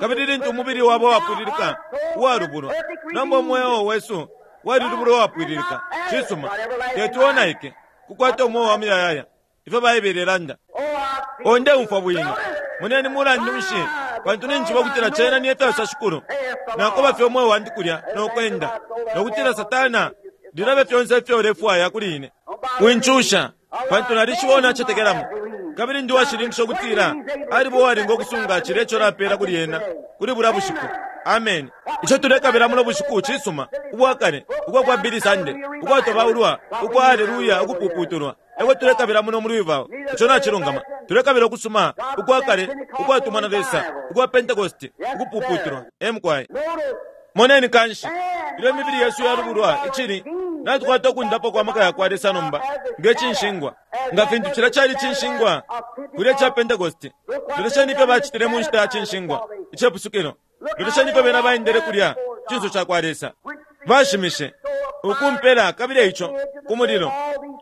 kabili lintu umubili wabo wapwililika uwalubulwa, nomba umweo wesu walilubulwa uwapwililika. Cisuma, tetuonaike kukwata umweo wa muyayaya, ifyo Baibele ilanda. Onde umfwa bwino muneni mulandu nshi, pantu ninjiba ukutila cena ni efyasa shikulu. Nakoba fye umweo wandi kulya nokwenda, nokutila Satana lilabe fyonse ifyo ulefwaya kuli ine. Wincusha, pantu nalishiba nacetekelamo, kabili ndi washilinkisha ukutila alibo uwalinga ukusunga cilya ico napela kuli ena kuli bulya bushiku. Amen. Ico tulekabila muno bushiku cisuma, ubwakale ubwa kwa Billy Sunday, ukwatobaulwa ukwa haleluya ukupuputulwa, eko tulekabila muno muli Louisville. Ico nacilungama. Tulekabila ukusuma ukwakale ukwatumwa na Lesa ukwa Pentekoste ukupuputulwa. Emkwai moneni kanshi ilyo imibili yesu yalubulwa icili natukwata ukundapwa kwa maka yakwa Lesa nomba nge cinshingwa, nga fintu cilya cali cinshingwa kulya ca Pentekoste. Lolesheni ifyo bacitile mu nshita ya cinshingwa icepusukilo. Lolesheni ifyo bena baendele kulya cinso ca kwa Lesa. Bashimishe ukumpela kabili eico ku mulilo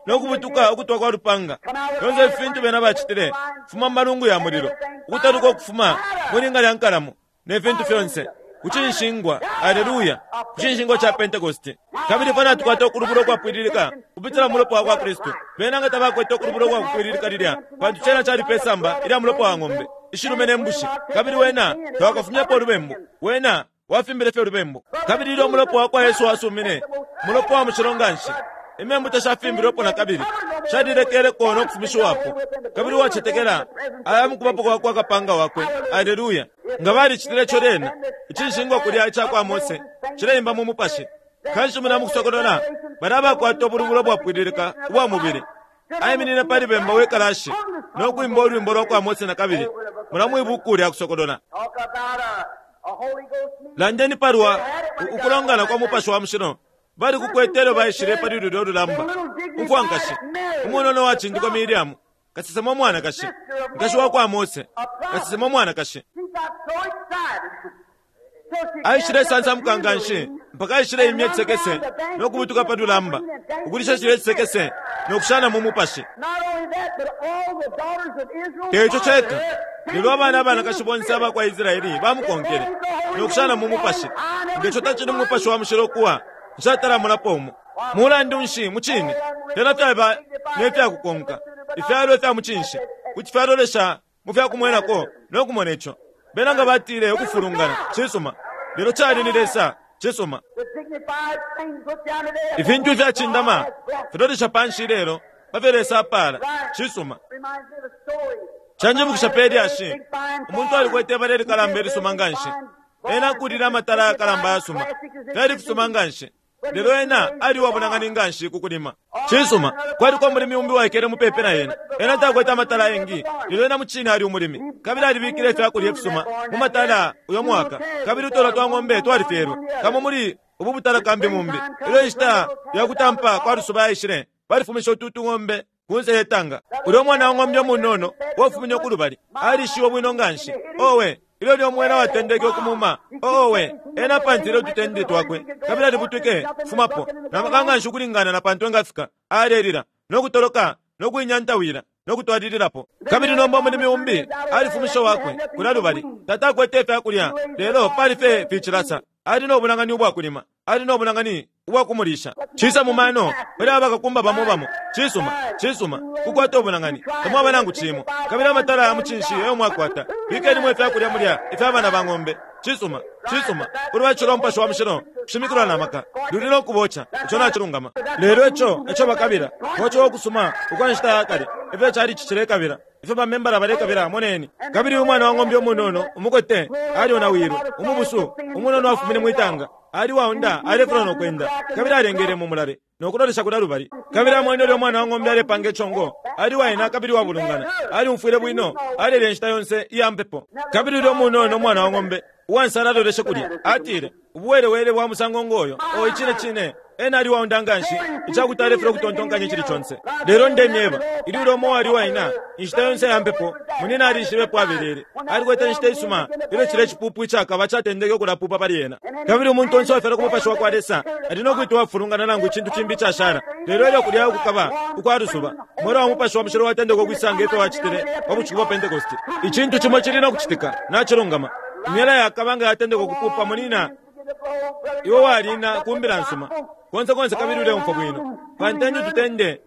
no kubutuka ukutwa kwa lupanga. Fyonse ifi fintu bena bacitile fuma mu malungu ya mulilo, ukutaluka ukufuma mwilinga lya nkalamo ne fintu fyonse ku cinshingwa. Aleluya, ku cinshingwa ca Pentekoste. Kabili fwe natukwata ukulubulwa ukwapwililika kupitila mu mulopa wa kwa Kristu. Bena nga tabakwete ukulubulwa ukwakupwililika lilya, pantu cena cali pe samba ilya mulopa wa ng'ombe ishilume ne mbushi, kabili wena tawakafumyapo ulubembu, wena wafimbile fye ulubembu. Kabili ilyo umulopa wa kwa Yesu wasumine, mulopa wa mushilo nganshi, imembu tashafimbilwepo na kabili, shalilekeleko no kufumishiwapo. Kabili uwacetekela aya mukubapo kwa kwa kapanga wakwe. Aleluya. Nga balicitile ico lyena, icinshingwa kulya ica kwa Mose cileimba mu mupashi. Kanshi muna mukusokolola bali abakwata ubulubulo bwapwililika ubwa mubili. Aiminine pali bemba we kalashi no kwimba ulwimbo lwa kwa Mose na kabili muna mwibuku lya kusokolola. Talk about a, a Holy Ghost meeting. Landeni palwa ukulongana kwa mupashi wa mushilo bali kukwete ilyo baishile pali lulyo lulamba. Umfwankashi umunono wacindikwa Miriamu, kasesema umwanakashi, nkashi wa kwa Mose, kasesema umwanakashi, She got so excited. So she aishile sansamuka nganshi mpaka aishile imya cisekese no kubutuka pa lulamba, ukulisha cilya cisekese no kushana mu mupashi. Not only that, but all the daughters of Israel Teco followed ceka, her. lelo abana abanakashi bonse aba kwa Israeli bamukonkele no kushana mu mupashi. Ngeco tacili mu mupashi wa mushilo kuwa nshatalamonapo umo. Mulandu nshi mucine fyena fyaba ne fyakukonka ifyalo ifya mucinshi kuti fyalolesha mu fyakumwenako no kumona ico. Bena nga batile ukufulungana cisuma, lelo cali ni Lesa cisuma. The dignified things look down today. Ifintu ifyacindama filolesha panshi lelo pa fyo Lesa apaala cisuma. Reminds me of a story. Canjibukisha pe lyashi, umuntu alikwete ibala ilikalamba ilisuma nganshi. Ena akulile amatala ayakalamba ayasuma, fyali fisuma nganshi, lelo ena ali uwabonangani nganshi ku kulima. Cisuma, kwaliko umulimi umbi waikele mupepi na ena. Ena takwete amatala ayengi, lelo ena mucine ali umulimi, kabili alibikile ifyakulya ifisuma mu matala uyo mwaka, kabili utola twa ng'ombe twalifyelwe kamo muli ubu butala kambi mumbi. Ilyo inshita ya kutampa kwa lusuba yaishile, balifumishe ututu ng'ombe kunse yetanga. Ulyo mwana wa ng'ombe umunono wafumine kulubali alishiwe bwino nganshi. Owe, ilyo lyo mwena watendeke ukumuma. Owe, ena apantile ututende twakwe kabili alibutwike fumapo na maka nganshi ukulingana na pantu engafika. Alelila no kutoloka no kuinyantawila no kutwalililapo. Kabili nomba umulimi umbi alifumishe wakwe kulya lubali. Tata akwete ifyakulya, lelo pali fye ficilasa. Ali no bunang'ani ubwakulima, ali no bunang'ani ubwakumulisha. Cisa mu mano pali aba bakakumba bamo bamo. Cisuma, cisuma, kukwata ubunang'ani, tamwaba nangu cimo. Kabili amatala ya mucinshi eyo mwakwata. Bikenimo ifyakulya mulya ifya bana ba ng'ombe. Cisuma, cisuma, ulubatisho lwa Mupashi wa Mushilo kushimikilwa na maka, luli no kuboca, ico nacilungama. Lelo ico eco bakabila, koco okusuma ukwa nshita ya kale, ifyo cali cicilekabila, ifyo bamembala balekabila, moneni. Kabili umwana wa ng'ombe umunono, umukote, alionawilwe, umubusu, umunono afumine mwitanga, ali waunda, alefula no kwenda, kabili alengele mu mulale, no kulolesha kulya lubali. Kabili amwene ulya umwana wa ng'ombe alepanga icongo, ali waina kabili wabulungana, aliumfwile bwino, alele inshita yonse iya mpepo. Kabili ulya umunono umwana wa ng'ombe, uwansala aloleshe kulya, atile, ubuwelewele bwa musango ngoyo, o icine cine, ena ali waunda nganshi, icakuti alefula ukutontonkanya icili conse. Lelo ndemyeba, ili ulya umo wali waina, inshita yonse ya mpepo, munina alishibepo abelele. Alikwete inshita isuma, ilyo cile cipupu icakaba catendeke ukulapupa pali ena. Kabili umuntu onse uwafyalwa ku Mupashi wa kwa Lesa, ali no kwitwa uwafulungana nangu icintu cimbi icashala. Lelo ilyo kulya ukukaba ukwa lusuba, umwela wa Mupashi wa Mushilo watendeka ukwisanga ifyo wacitile pa bushiku bwa Pentekoste. Icintu cimo cili no kucitika, nacilungama. Imyela yakaba nga yatendeka ukupupa munina, iwe walina kumbila nsuma konse konse kabili uleumfwa bwino. Pantende tutende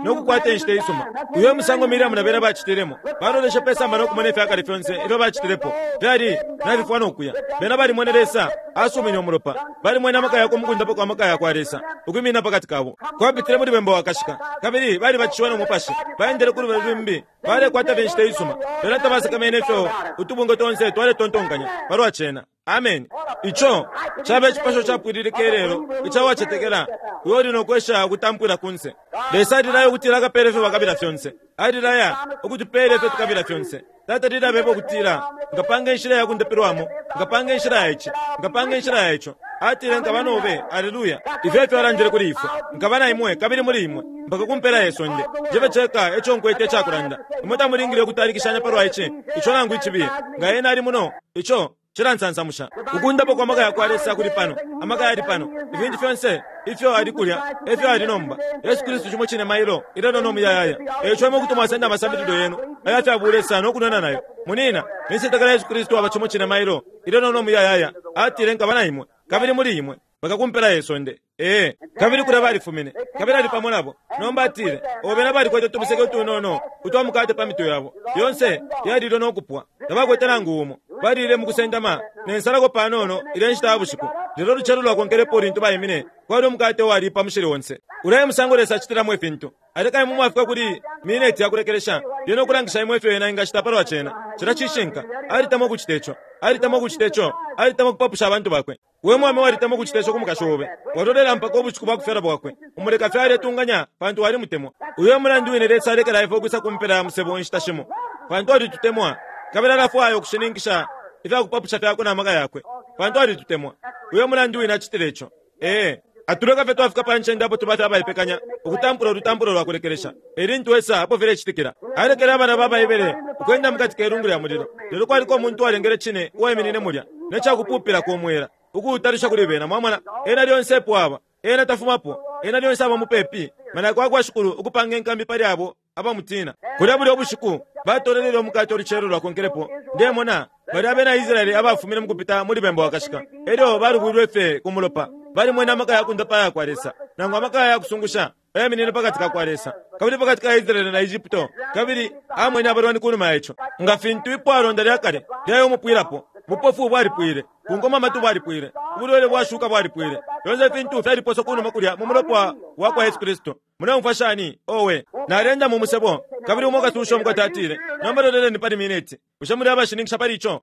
no kukwata inshita isuma. Uyo musango Miriamu na bena bacitilemo, baloleshe pe samba no kumona ifyakale fyonse ifyo bacitilepo fyali nabifwa no kuya. Bena balimwene Lesa asumine umulopa, balimwene amaka yakwe mukundapo kwa maka yakwa Lesa ukwimina pakati kabo. Kwapitile muli bemba wakashika, kabili balibatishiwe no Mupashi, baendele ku lubali lumbi, balekwata fye inshita isuma. Bena tabasakamene ifyo utubungwe tonse twaletontonkanya palwa cena. Amen. Ico cabe icipasho capwililika ilelo icawacetekela uyo uli nokwesha ukutampwila kunse. Lesa alilaya ukutila akapele ifyo bakabila fyonse. Alilaya ukutupela ifyo tukabila fyonse. Tata lilabeba ukutila nkapanga inshila ya kundapilwamo, nkapanga inshila ya ici, nkapanga inshila ya ico. Atile nkaba nobe, aleluya. Ifyo efyo alandile kuli ifwe, nkaba na imwe kabili muli imwe mpaka kumpela ye sonde. Njebe ceka eco nkwete icakulanda. Imwe tamulingile ukutalikishanya palwa ici, ico nangu icibiye. Nga ena ali muno, ico cilansansamusha. Ukundapo kwa maka yakwa Lesa kuli pano, amaka yali pano, ifintu fyonse ifyo ali kulya, efyo ali nomba. Yesu Kristu cimo cine mailo, ilelo no muyayaya. Eco imwe kuti mwasenda amasambililo yenu ayafya no kunona nayo. Munina, ninsetekela Yesu Kristu aba cimo cine mailo, ilelo no muyayaya. Atile nkaba na imwe, kabili muli imwe, mpaka kumpela ye sonde. Ee, kabili kulya balifumine, kabili ali pamo nabo. Nomba atile, obena balikwete utumuseke utunono utwa mukate pa mitwe yabo. Yonse yalilwe no kupwa, tabakwete nangu umo. Balile mukusendama nensalako panono ile nshita ya bushiku. Lelo lucelo lwakonkelepo lintu baimine, kwali umukate wali pa mushili onse. Ulaye musango Lesa acitilamo ifintu. Aleka imwe mwafika kuli mineti ya kulekelesha, lyena okulangisha imwe ifyo ena ingacita palwa cena. Cila cishinka, alitama ukucita ico, alitama ukucita ico, alitama ukupapusha abantu bakwe. We mwame walitama ukucita ico ku mukashi obe, walolela mpaka ubushiku bwa kufyalwa bwakwe. Umuleka fye aletunganya pantu walimutemwa. Uyo mulandu wine Lesa alekela ifwe ukwisa kumpela ya musebo inshita shimo, pantu alitutemwa. Kabili alafwaya ukushininkisha ifya kupapusha fyakwe na maka yakwe, pantu alitutemwa. Uyo mulandu wine acitile ico. Ee, atuleka fye twafika pa ncende apo tuba fye abaipekanya ukutampula ulutampulo lwa kulekelesha. Elintu esa apo filecitikila. Alekele abana ba Baibele ukwenda mukati ke lungu lya mulilo. Lelo kwaliko umuntu uwalengele cine uwaiminine mulya ne cakupupila ku mwela ukuutalisha kuli bena. Mwamona, ena lyonse epo aba, ena tafumapo, ena lyonse aba mupepi. Malaika wakwa Shikulu ukupanga inkambi pali abo abamutina. Kulya bulya ubushiku batolelele umukate olucelo lwakonkelepo. Ndemona bali abena Israeli abafumine mukupita muli bemba wakashika, elyo balubwilwe fye ku mulopa. Balimwene amaka ya kundapa ya kwa Lesa, nangu amaka ya kusungusha ayaminine pakati ka kwa Lesa, kabili pakati ka Israeli na Egypto. Kabili amwene abalwani kunuma ya ico, nga fintu ipwalonda lya kale lyayo umupwilapo. Bupofu bwalipwile, bungoma amatu bwalipwile, ubulwele bwashuka bwalipwile. Fyonse ifintu fyaliposwa kunuma kulya mu mulopa wa kwa Yesu Kristu. Muleumfwa shani? Owe, nalenda mu musebo, kabili umo katusha umukote atile, nomba loleleni pali mineti. Bushe muli abashininkisha pali ico?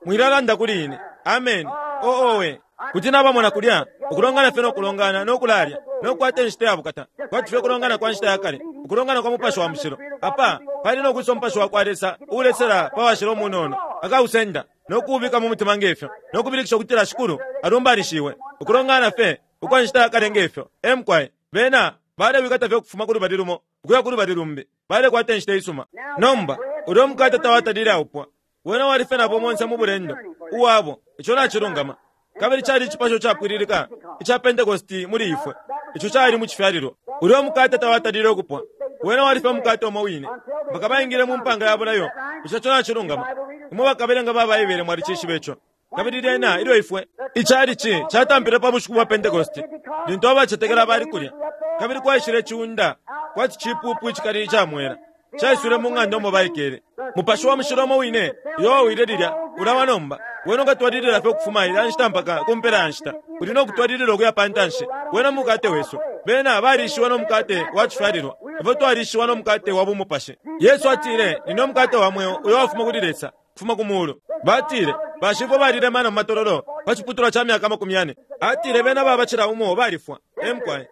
Mwilalanda kuli ine. Amen. O owe, kuti nabamona kulya ukulongana fye no kulongana no kulalya no kukwata inshita ya bukata, kwati fye kulongana kwa nshita ya kale, ukulongana kwa Mupashi wa Mushilo. Apa pali no kwisa Umupashi wa kwa Lesa uulesela pa washila umunono, akausenda no kuubika mu mutima ngefyo, no kubilikisha ukutila Shikulu alumbanishiwe. Ukulongana fye ukwa nshita ya kale ngefyo. Emkwai bena balewikata fye ukufuma ku lubali lumo ukuya ku lubali lumbi, balekwata inshita isuma. Nomba ulya umukate tawatalile aupwa, wena wali fye nabo monse mu bulendo uwabo. Ico nacilungama. Kabili cali icipasho capwililika ica Pentekosti muli ifwe. Ico cali mu cifyalilwa. Ulya umukate tawatalile ukupwa, wena wali fye umukate umo wine mpaka baingile mu mpanga ya bulayo. Ico co nacilungama. Imwe bakabelenga ba Baibele mwalicishiba ico. Kabili lyena ilyo ifwe icalici catampile pa bushiku bwa Pentecost, lintu abacetekela bali kulya, kabili kwaishile ciunda kwati cipupu icikali icamwela caiswile mu ng'anda umo baikele. Mupashi wa Mushilo umo wine uyo wawile lilya ulawa nomba. Wena ukatwalilila fye ukufuma ilya nshita mpaka ku mpela ya nshita, uli no kutwalilila ukuya pa ntanshi. Wena mukate wesu. Bena balishiwa no mukate wa cifyalilwa, ifwe twalishiwa no mukate wa bumupashi. Yesu atile, "Nine umukate wa mweo uyo wafuma kuli Lesa, kufuma ku mulu." Batile, "Bashifwe balile mana mu matololo pa ciputulwa ca myaka makumi yane." Atile, "Bena babacila umo balifwa." Emkwaye.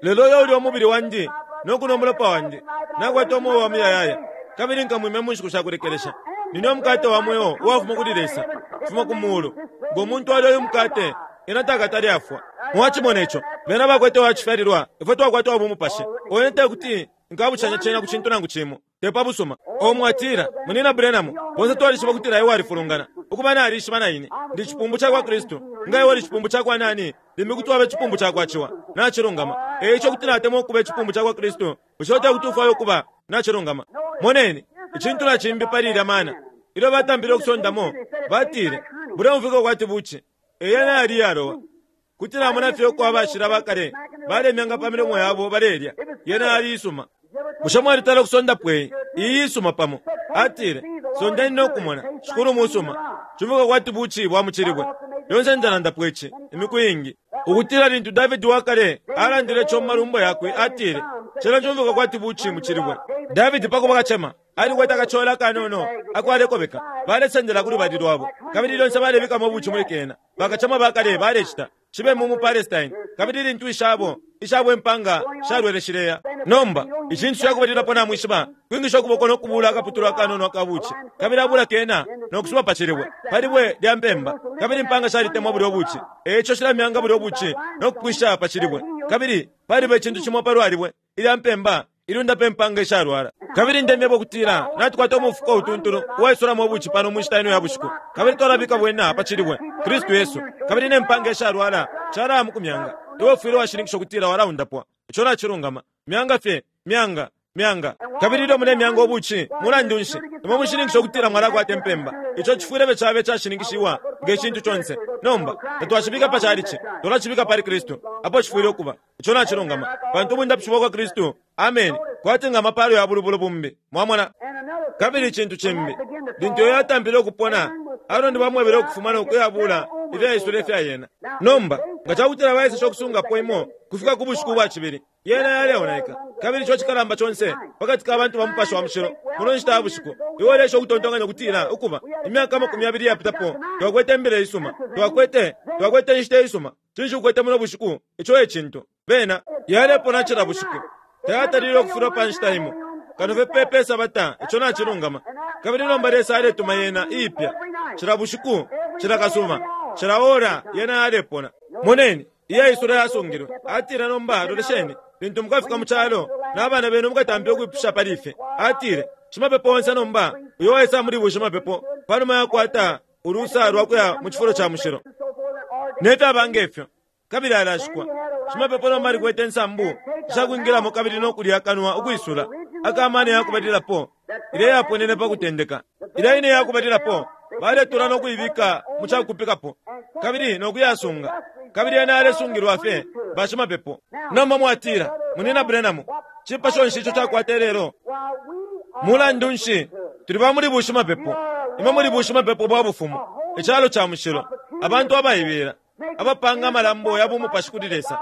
Lelo uyo uli umubili wandi no kunwa umulopa wandi nakwata umweo wa muyayaya, kabili nkamwimya mu nshiku shakulekelesha. Nine umukate wa mweo uwafuma kuli Lesa, kufuma ku mulu. Ngo muntu alya uyu mukate, ena takatale afwa. Mwachimona ico? Bena bakwete wacifyalilwa, ifwe twakwata wa bumupashi. Wene tekuti nkabushanya cena ku cintu nangu cimo, te pa busuma. O mwatila, "Munina Branham, bonse twalishiba kutila iwe walifulungana." Ukuba nalishiba na ine ndi cipumbu ca kwa Kristu. Nga iwe uli cipumbu ca kwa nani, limbi kuti waba icipumbu ca kwa Ciwa. Nacilungama. E ico kuti natemwa ukuba icipumbu ca kwa Kristu, bushe tekuti ufwaye ukuba? Nacilungama. Moneni icintu na cimbi pali ilya mana. Ilyo batampile ukusondamo, batile, "Buleumfwika kwati buci." Eyena yali yalowa. Kuti namona fye uko abashila bakale balemyanga pa milomo yabo balelya. Yena yali isuma. Bushe mwalitala ukusondapo iyi? Iyi isuma pamo. Atile, "Sondeni no kumona, Shikulu musuma. Cumfwika kwati buci bwa mucilibwe." Lyonse ndalandapo ici imiku iingi, ukutila lintu Davidi wakale alandile ico mu malumbo yakwe, atile, "Cena cumfwika kwati buci mucilibwe." Davidi pakuba kacema alikwete akachola akanono ako alekobeka, balesendela ku lubali lwabo, kabili lyonse balebikamo ubuci muli kena. Bakacema bakale balecita cibe mu mu Palestine, kabili lintu ishabo ishabo impanga shalwele shileya. Nomba icintu cakubalilapo namwishiba, kwingisha ukuboko no kubula akaputulwa akanono akabuci, kabili abula kena no kusuba pa cilibwe, pa libwe lya mpemba, kabili impanga shalitemwa bulya ubuci. Eico shilamyanga bulya ubuci no kupwisha pa cilibwe, kabili paliba icintu cimo palwa libwe ilya mpemba ilunda pe mpanga ishalwala. Kabili ndemyebo kutila natukwata umufuko utuntulu uwaisulamo ubuci pano mu nshita ino ya bushiku, kabili twalabika bwena pa cilibwe Kristu Yesu, kabili ne mpanga ishalwala chalaya mu kumyanga. Iwe ufwile washininkisha ukutila walaundapwa. Ico nacilungama. Myanga fye, myanga, myanga. Kabili ilyo mulemyanga ubuci, mulandu nshi, imwe mushininkisha ukutila mwalakwata impemba. Ico cifwile cabe cashininkishiwa nge cintu conse. Nomba tatwacibika pa chalichi, twalacibika pali Kristu, apo cifwile ukuba. Ico nacilungama, pantu ubundapishi bwa kwa Kristu, amen, kwati nga amapalo ya bulubulu bumbi. Mwamona? Kabili icintu cimbi, lintu iyo yatampile ukupona, Aaroni bamwebele ukufuma no kuyabula ifyaisula ifyayena. Nomba nga cakutila baesesha ukusungapo imo kufika ku bushiku bwa cibili, yena yaleonaika. Kabili ico cikalamba conse pakati ka bantu ba Mupashi wa Mushilo muno nshita ya bushiku, iwe ulesha ukutontonkanya kutila ukuba imyaka amakumi yabili yapitapo twakwete imbila isuma, twakwete twakwete inshita isuma. Cinshi ukwete muno bushiku? Ico e cintu. Bena yalepona cila bushiku, tayatalile ukufulwa pa nshita imo kano fye pepe sabata. Ico nacilungama. Kabili nomba Lesa aletuma yena iipya cila bushiku, cila kasuba, cila ora yena yalepona. Moneni iyaisula yasungilwe. Atile, "Nomba lolesheni, lintu mukafika mu calo n'abana benu mukatampa ukwipusha pali ife." Atile, "Shimapepo onse nomba uyo waisa muli bushimapepo panuma yakwata ulusa lwa kuya mu cifulo ca mushilo nefyaba ngefyo, kabili alashikwa." Shimapepo nomba alikwete insambu ishakwingilamo kabili no kulya akanwa ukwisula akamana yakubalilapo ilya yaponene pa kutendeka. Ilya ine yakubalilapo baletula no kuibika mu cakupikapo kabili no kuyasunga, kabili yena yalesungilwa fye bashimapepo. Nomba mwatila, "Munina Branham, cipasho nshi ico cakwata lelo?" Mulandu nshi, tuli ba muli bushimapepo. Imwe muli bushimapepo bwa bufumu, icalo ca mushilo, abantu abaibela, abapanga amalambo ya bumupashi kuli Lesa.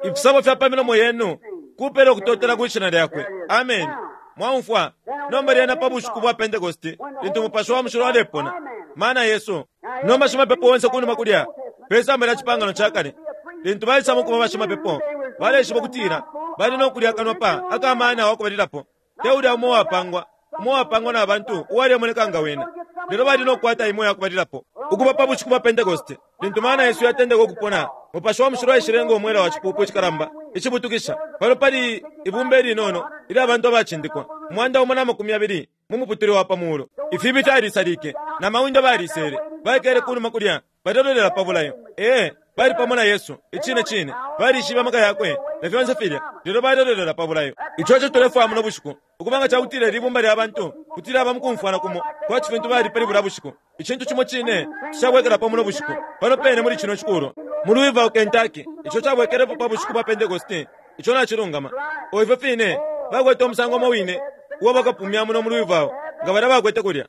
Ifisabo fya pa milomo yenu kupela ukutotela kwi shina lyakwe. Amen. Mwaumfwa? Nomba lyena pa bushiku bwa Pentecost, lintu Mupashi wa Mushilo alepona, mana Yesu. Nomba shimapepo onse kunuma kulya pe samba lya cipangano ca kale, lintu baisamo kuba bashimapepo, baleshiba ukutila bali no kulya akanwa pa akamana wakubalilapo, te ulya umo wapangwa, umo wapangwa na bantu uwalemoneka nga wena, lelo bali no kukwata imo yakubalilapo. Ukuba pa bushiku bwa Pentecost, lintu mana Yesu yatendeka ukupona, Mupashi wa Mushilo aishilenga umwela wa cipupu icikalamba icibutukisha. Pano pali ibumba ilinono ilya bantu abacindikwa, umwanda umo na makumi yabili mu muputule wa pa mulu. Ifibi fyalisalike na mawindo balisele, baikele kunuma kulya balelolela pa bulayo. Ee, Bali pamo na Yesu, icine cine. Balishibe amaka yakwe na fyonse filya, lelo balelolela pa bulayo. Ico eco tulefwaya muno bushiku, ukubanga cakutila ili bumba lya bantu kuti lyaba mukumfwana kumo kwati fintu bali pali bulya bushiku. Icintu cimo cine cishabwekelapo muno bushiku, pano pene muli cino cikulwa mu Louisville, Kentucky, ico cabwekelepo pa bushiku bwa Pentekoste. Ico nacilungama. O ifyo fine bakwete umusango umo wine uo bakapumya muno mu Louisville nga balya bakwete kulya.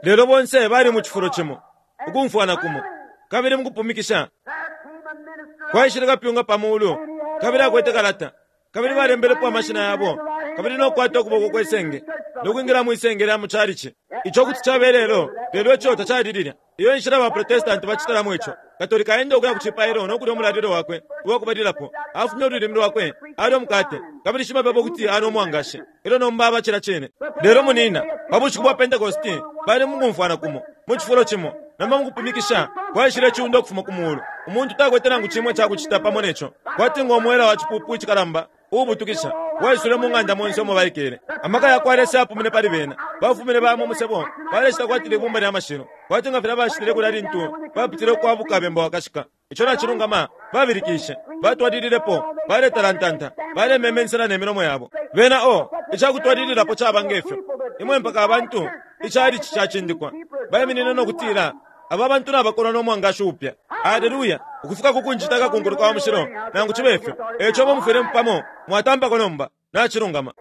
Lelo bonse bali mu cifulo cimo, ukumfwana kumo, kabili mukupumikisha kwaishile kapyunga pa mulu, kabili akwete kalata, kabili balembelepo amashina yabo, kabili nokukwata ukuboko kwe senge nokwingila mwisenge lya mu chalichi. Ico kuti cabe lelo, lelo ico tacali lilya. Iyo inshila ba Protestanti bacitalamo ico. Katolika aenda ukuya ku cipailo nokulya umulalilo wakwe uwakubalilapo, afumya ululimi lwakwe, alya umukate, kabili shimapepo kuti anwa umwangashi, elyo nomba aba cila cine. Lelo munina, pa bushiku bwa Pentekoste bali mukumfwana kumo, mu cifulo cimo. Nomba mukupumikisha kwaishile iciunda ukufuma ku mulu. Umuntu takwete nangu cimwe cakucita pamo neco, kwati ngo mwela wa cipupu icikalamba uubutukisha waisule mu ng'anda monse umo baikele. Amaka yakwa Lesa yapumine pali bena. Bafumine baya mu musebo, balecita kwati libumba lya mashilo, kwati nga filya bacitile kulya lintu bapitile ukwabuka bemba wakashika. Ico nacilungama. Babilikishe, batwalililepo, baletalantanta, balememensela ne milomo yabo. Bena o icakutwalililapo caba ngefyo. Imwe mpaka abantu icalici cacindikwa baiminine no kutila aba bantu nabakolwa no mwangashi upya. Aleluya! Ukufika ku kunjita akakunkuluka wa mushilo, nangu cibe ifyo. Eco bomufwile pamo mwatampako nomba. Nacilungama.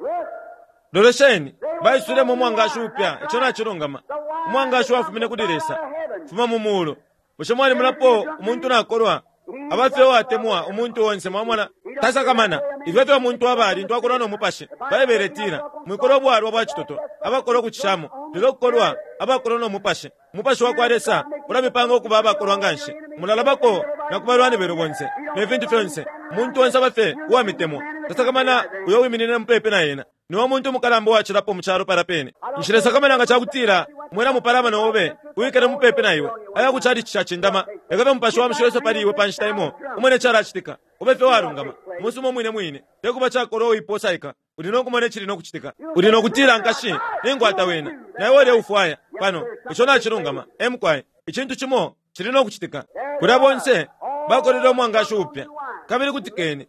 Lolesheni, baisulemo umwangashi upya. Ico nacilungama. Umwangashi wafumine kuli Lesa, fuma mu mulu. Bushe mwalimunapo umuntu nakolwa abafye uwatemwa umuntu onse? Mwamona, tasakamana ifyo fyo umuntu aba lintu akolwa no mupashi. Baibele itila, mwikolwa ubwalwa bwa citoto, abakolwa ukucishamo, lelo kukolwa abakolwa no mupashi. Umupashi wa kwa Lesa ulamipanga ukuba abakolwa nganshi. Mulalabako na ku balwani benu bonse ne fintu fyonse. Umuntu onse abafye uwamitemwa, tasakamana uyo wiminine mupepi na ena. Niwe muntu umukalamba uwacilapo mu calo pala pene. Nshilesakamana nga cakutila mwena mupalama obe wikele mupepi na iwe, aya ku chalichi cacindama. Leka umupashi wa mushilo ese pali iwe pa nshita imo, umone calacitika. Ube fye walungama umusuma umwine mwine, tekuba cakolwa uiposaika. Uli no kumona icili no kucitika. Uli no kutila, nkashi, ningwata wena, na iwe uleufwaya pano. Ico nacilungama. Emukwaye, icintu cimo cili no kucitika. Kulya bonse bakolele umwangashi upya. Kabili kutikeni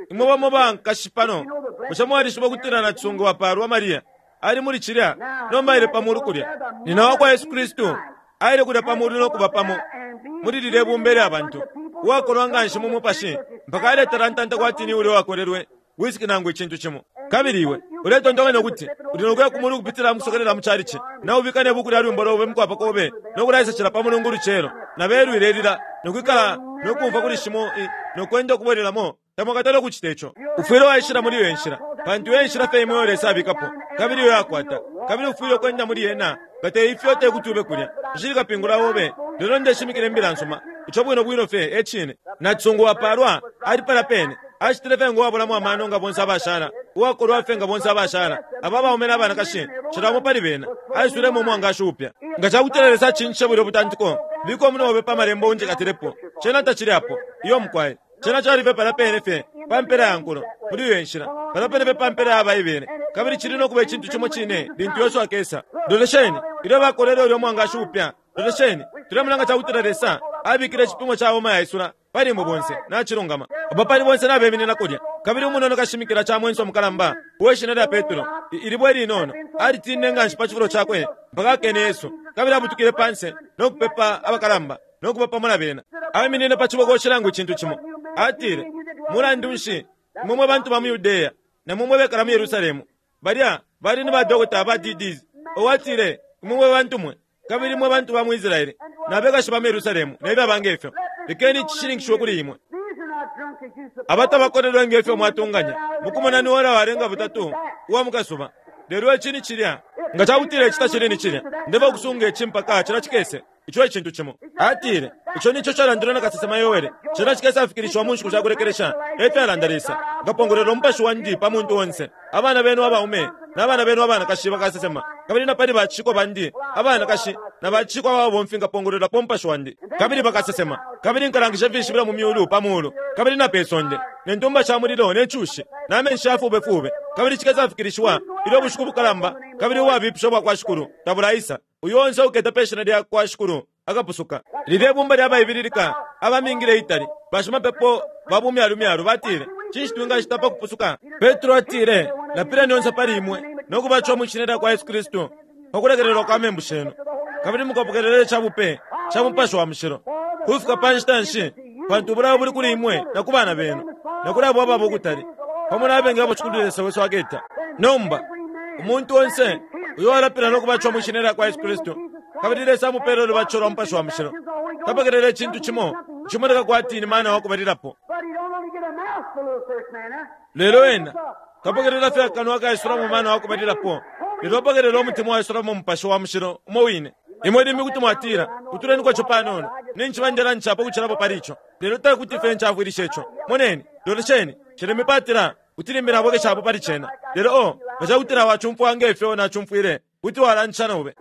imwe bamo bankashi pano, bushe mwalishiba ukutila nacisungu wapalwa Maria ali muli cilya nomba aile pa mulu kulya? Nina wa kwa Yesu Kristu aile kulya pa mulu no kuba pamo muli lilye bumba lya bantu, uwakolwa nganshi mu mupashi mpaka aletalantanta kwati ni ulya uwakolelwe wisiki nangu icintu cimo. Kabili iwe uletontonkanya ukuti uli no kuya ku mulu ukupitila mukusokelela mu chalichi, naubika ne buku lya lwimbo lobe mukwapa kobe no kulaisacila pa mulungu lucelo, na belwile lila no kwikala no kumfwa kuli shimo no kwenda ukubwelelamo? Tamwakatale ukucita ico. Ufwile waishila muli iyo nshila, pantu iyo nshila fye imwe Lesa abikapo, kabili iyo yakwata, kabili ufwile ukwenda muli yena. Nga te ifyo te kuti ube kulya. Nshili kapingula obe, lelo ndeshimikila imbila nsuma. Ico bwino bwino fye e cine. Nacisungu wapalwa ali pala pene, acitile fye ngo wabulamo amano nga bonse abashala, uwakolwa fye nga bonse abashala. Aba baume na banakashi, cila umo pali bena aisulemo umwangashi upya. Nga cakutila Lesa acincishe bulya butantiko, bika umunwe obe pa malembo unjikatilepo. Cena tacili apo. Iyo mukwaye. Cena cali fye pala pene fye pa mpela ya nkulo, muli iyo nshila, pala pene fye pa mpela ya Baibele, kabili cili no kuba icintu cimo cine lintu Yesu akesa. Lolesheni ilyo bakolele ulya mwangashi upya. Lolesheni, tulemona cakutila Lesa abikile icipimo ca homa yaisula pali imwe bonse. Nacilungama. Aba pali bonse nabeminina kulya, kabili umunono kashimikila ca mwenso mukalamba uwe shina lya Petro, ilibwe linono, alitinine nganshi pa cifulo cakwe mpaka akene Yesu, kabili abutukile panse no kupepa abakalamba no kuba pamo na bena. Aiminine pa cibokoshi nangu icintu cimo. Atile, mulandu nshi imwe mwe bantu ba mu Yudeya na mwe mwe bekala mu Yerusalemu? Balya bali ni badokota ba D Ds. Owatile, imwe mwe bantu mwe, kabili mwe bantu ba mu Israele na bekashi ba mu Yerusalemu ne byaba ngefyo, lekeni icishininkishiwe kuli imwe. Abatabakolelwe ngefyo mwatunganya mukumona ni ora walenga butatu uwa mukasuba. Lelo ici ni cilya. Nga cakutila ici tacili ni cilya, ndeba ukusunga ici mpaka cila cikese. Ico icintu cimo. Atile, ico nico calandilwe na kasesema Yoele, cila cikese afikilishiwa mu nshiku shakulekelesha, efyalanda Lesa, nkapongolwela umupashi wandi pa muntu onse. Abana benu abaume n'abana benu abanakashi bakasesema, kabili na pali bacikwa bandi abanakashi na bacikwa ababomfi nkapongolwelapo umupashi wandi, kabili bakasesema. Kabili nkalangisha ifishibilo mu myulu pa mulu, kabili na pe sonde, ne ntumba sha mulilo ne cushi na menshi ya fubefube. Kabili cikese afikilishiwa ilyo ubushiku bukalamba kabili ubwabipisha bwa kwa Shikulu tabulaisa. Uyo onse uketa pe shina lya kwa Shikulu Akapusuka. Lilye bumba lya baibililika abamingile itali bashimapepo babumyalumyalu batile, cinshi twingacita pa kupusuka? Petro atile, lapileni yonse pali imwe no kubatishwa mu shina lya kwa Yesu Kristu pa kulekelelwa kwa membu shenu, kabili mukapokelele ca bupe ca Mupashi wa Mushilo. Kufika pa nshita nshi? Pantu ubulayo buli kuli imwe na ku bana benu na kuli abo ababa ukutali, pamo na abengi abo Shikulu Lesa wesu aketa. Nomba umuntu onse uyo alapila no kubatishwa mu shina lya kwa Yesu Kristu, kabili Lesa amupele ulubatisho lwa Mupashi wa Mushilo, tapokelele icintu cimo icimoneka kwati ni mana wa kubalilapo. Lelo ena tapokelela fye akanwa kaisulamo mana wa kubalilapo, lelo apokelela umutima waisulamo Mupashi wa Mushilo umo wine. Imwe limbi kuti mwatila, kutuleni kwaco panono, ninshi bandela ncapo kucilapo pali ico, lelo tekuti fye ncafwilisha ico. Moneni, lolesheni, cilemipatila kuti limbi nabwekeshapo pali cena. Lelo o nga cakuti nawacumfwa ngefyo nacumfwile, kuti walancisha nobe.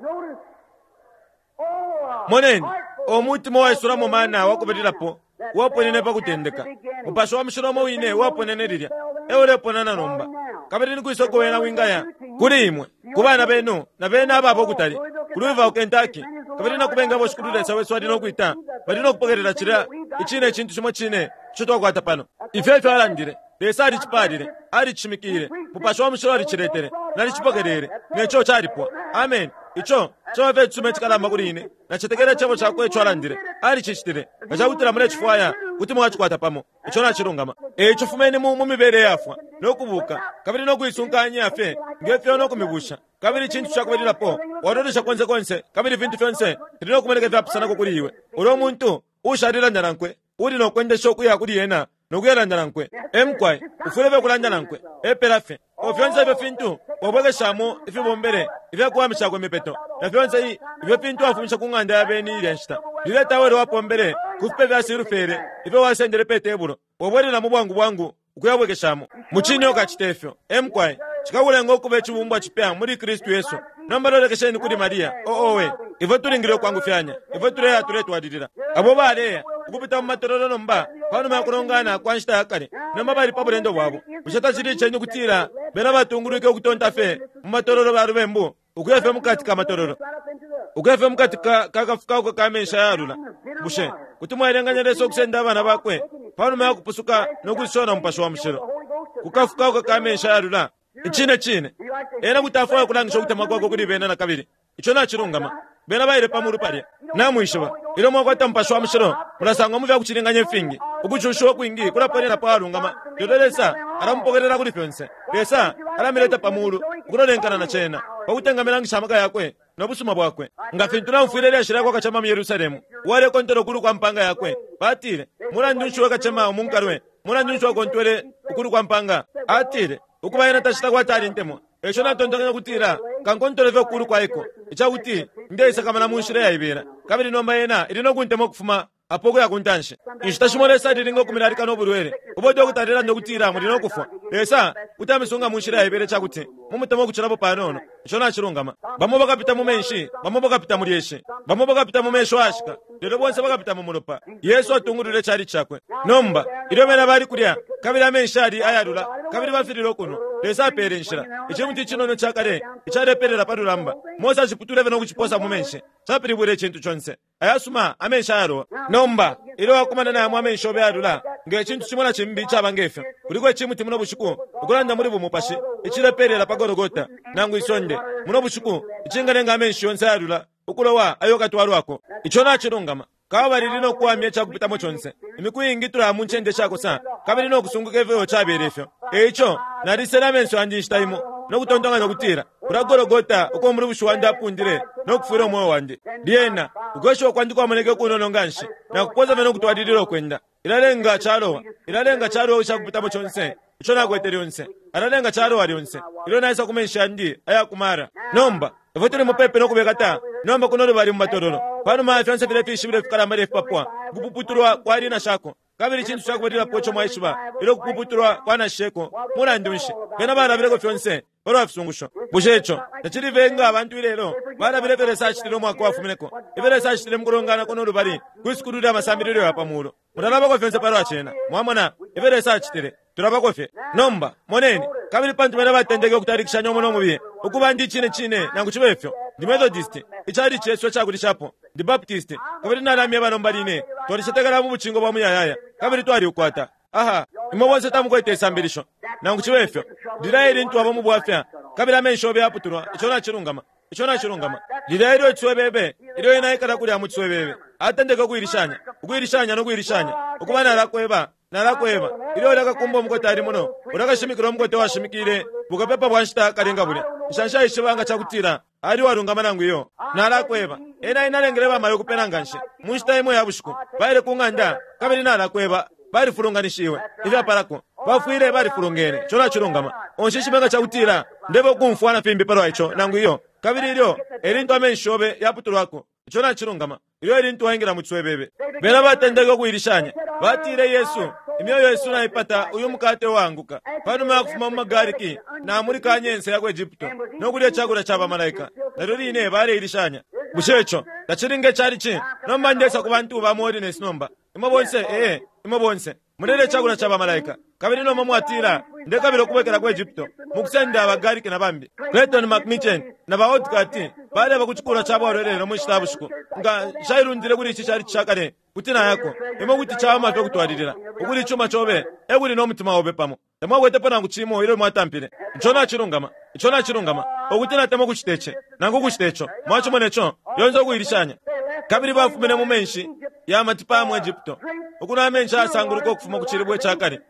Moneni, omutima waisulamo mana wakubalilapo waponene pa kutendeka. Mupashi wa Mushilo umo wine waponene lilya euleponana nomba. Kabili nikwisa uko wena wingaya? Kuli imwe, ku bana benu na bena ababa ukutali, ku Louisville, Kentucky, kabili na kubenga abo Shikulu Lesa wesu ali no kwita, bali no kupokelela cilya icine icintu cimo cine ico twakwata pano. Ifyo efyo alandile. Lesa alicipalile, alicishimikile, Mupashi wa Mushilo aliciletele, nalicipokelele, neco calipwa. Amen. Ico caba fye icisuma icikalamba kuli ine. Nacetekela icebo cakwe ico alandile, alicicitile. Nga cakutila mulecifwaya, kuti mwacikwata pamo. Ico nacilungama. Eico fumeni mu mibele yafwa no kubuka, kabili no kuisunkanya fye ngefyo no kumibusha. Kabili icintu cakubalilapo walolesha konse konse, kabili ifintu fyonse fili no kumoneka ifyapusanako kuli iwe. Ulo muntu ushalilanda nankwe uli no kwendesha ukuya kuli ena no kuyalanda nankwe. Emkwai ufwile fye kulanda nankwe epela fye. O fyonse ifyo fintu wabwekeshamo ifibombele ifyakuwamishako imipeto, na fyonse ifyo fintu wafumisha ku ng'anda ya beni ilya nshita. Lilya tawele wapombele ku fipe fya silufele ifyo wasendele pe tebulo, wabwelelamo bwangu bwangu ukuyabwekeshamo. Mucine ukacita ifyo. Emkwai cikakulenga ukuba icibumbwa cipya muli Kristu Yesu. Nomba lolekesheni kuli Maria. Oowe, ifwe tulingile ukwangufyanya, ifwe tuleya tuletwalilila. Abo baleya ukupita mu matololo nomba panuma ya kulongana kwa nshita ya kale, nomba bali pa bulendo bwabo. Bushe tacili iceni kutila bena batungulwike ukutonta fye mu matololo ba lubembu, ukuya fye mukati ka matololo, ukuya fye mukati ka kafukauka ka menshi ayalula? Bushe kuti mwaelenganya Lesa ukusenda abana bakwe panuma ya kupusuka no kuisona Mupashi wa Mushilo ku kafukauka ka menshi ayalula? Icine cine ena kuti afwaya ukulangisha ukutemwa kwakwe kuli bena na kabili. Ico nacilungama. Bena baile pa mulu palya. Namwishiba, ilyo mwakwata Mupashi wa Mushilo, mulasangwa mu fyakucilinganya ifingi. Ukucushiwa kwingi kulaponena pa walungama, lelo Lesa alamupokelela kuli fyonse. Lesa alamileta pa mulu ukulolenkana na cena, pa kuti engamilangisha amaka yakwe no busuma bwakwe. Nga fintu naumfwile ilyashi lyakwa kacema mu Yerusalemu, uwalekontela ukulu kwa mpanga yakwe, batile, mulandu nshi we kacema umunkalwe, mulandu nshi wakontwele ukulu kwa mpanga? Atile, ukuba ena tacita kwati alintemwa. Eco natontonkanya kutila kankontole fye ukulu kwaiko, icakuti ndeisakamana mu nshila yaibela, kabili nomba ena ili no kuntemwa ukufuma apo ukuya ku ntanshi. Inshita shimo Lesa alilinga ukumilalika no bulwele ubo dokota alelanda ukutila muli no kufwa. Lesa kuti amisunga mu nshila yaibela icakuti mumutemwa ukucilapo panono. Ico nacilungama. Bamo bakapita mu menshi, bamo bakapita mu lyeshi, bamo bakapita mu mesho ayashika, lelo bonse bakapita mu mulopa. Yesu atungulule icali cakwe. Nomba ilyo bena bali kulya, kabili amenshi ali ayalula, kabili bafilile ukunwa, Lesa apele inshila. Icimuti icinono ca kale icalepelela pa lulamba, Mose aciputule fye no kuciposa mu menshi, capilibwile icintu conse. Ayasuma amenshi ayalowa. Nomba ilyo wakumana nayamo amenshi obe ayalula, nge cintu cimo na cimbi icaba ngefyo, kuliko icimuti muno bushiku ukulanda muli bumupashi icilepelela pa Golgota nangu isonde muno bushiku, icingalenga amenshi yonse ayalula ukulowa ayo katwalwako. Ico nacilungama. Kaba lili no kuwamya icakupitamo conse. Imiku iingi tulaya mu ncende shakosa, kabili no kusunguka ifyo cabele ifyo. Eico nalisele amenso yandi inshita imo no kutontonkanya kutila kula Golgota uko umulubushi wandi apundile no kufwila umweo wandi. Lyena ukweshiwa kwandi kwamoneke kunono nganshi, nakupoza fye no kutwalilila ukwenda. Ilalenga calowa, ilalenga calowa icakupitamo conse ico nakwete lyonse, alalenga calowa lyonse ilyo naisa ku menshi yandi ayakumara. Nomba ifwe tuli mupepe no kubekata nomba kuno lubali mu matololo, panuma ya fyonse filya fishibilo fikalamba lefipapwa, ukupuputulwa kwali na shako. Kabili icintu cakubalilapo ico mwaishiba, ilyo kupuputulwa kwa nasheko, mulandu nshi bena balabileko fyonse palwa fisungusho? Bushe ico tacili nga abantu ilelo balabile ifyo Lesa acitile umwaka wafumineko, ifyo Lesa acitile mu kulongana kuno lubali kwi sukulu lya masambililo ya pamuulu? Mulalabako fyonse palwa cena. Mwamona ifyo Lesa acitile, tulabako fye. Nomba moneni, kabili pantu bena batendeke ukutalikishanya umo no mubiye, Ukuba ndi cine cine nangu cibe ifyo. Ndi Methodist, icali cesu ecakulishapo. Ndi Baptist, kabili nalamyeba nomba line. Twalicetekela mu bucingo bwa muyayaya, kabili twaliukwata. Aha, imwe bonse tamukwete isambilisho. Nangu cibe ifyo. Lilya ilintu aba mu bwafya, kabili amenshi obe yaputulwa, ico nacilungama. Ico nacilungama. Lilya ilyo icwebebe, ilyo inaikala kulya mu cwebebe. Atendeka ukuilishanya, ukuilishanya no kuilishanya. Ukuba nalakweba, nalakweba. Ilyo ulakakumba umukote ali muno, ulakashimikila umukote washimikile, bukapepa bwa nshita kalenga bulya. Nshansha ishibanga cakutila, ali walungama nangu iyo. Nalakweba. Ena inalengele bamayo kupena nganshi. Mu nshita imwe ya bushiku, baile ku ng'anda, kabili nalakweba, balifulunganishiwe. Ifyapalako, bafwile balifulungene. Ico nacilungama. Onshishimanga cakutila, ndebe ukumfwa na fimbi palwa ico nangu iyo. Kabili ilyo elintu amenshi obe yaputulwako. Ico nacilungama. Ilyo elintu waingila mu cwebebe. Bena batendeka ukuilishanya. Batile Yesu, imyoyo yesu naipata uyu mukate wanguka. Panuma ya kufuma mu magariki na muri kanyense ya ku Egypto no kulya chakula cha bamalaika. Nalyo line baleilishanya. Bushe ico tacilinge cali nomba ndesa ku bantu ba Holiness nomba. Imwe bonse eh imwe bonse mulele chakula cha bamalaika. Kabili nomba mwatila ndekabila okubwekela ku Egypto mukusenda abagariki na bambi. Clayton McMichen na ba Otkati baleba ku chikula cha bwalwelelo mu nshita ya bushiku. Nga shailundile kuli ichi chali chakale kuti nayako imwe kuti chawama fye kutwalilila ukuli ichuma chobe ekuli n'omutima obe pamo. Tamwakwetepo nangu chimo ilyo mwatampile. Ico nacilungama, ico nacilungama. Okuti natema okucita ici nangu okucita ico mwachimona ico yonse okuilishanya. Kabili bafumine mu menshi ya matipa mu Egypto ukunwa amenshi ayasanguluka ukufuma ku cilibwe cakale.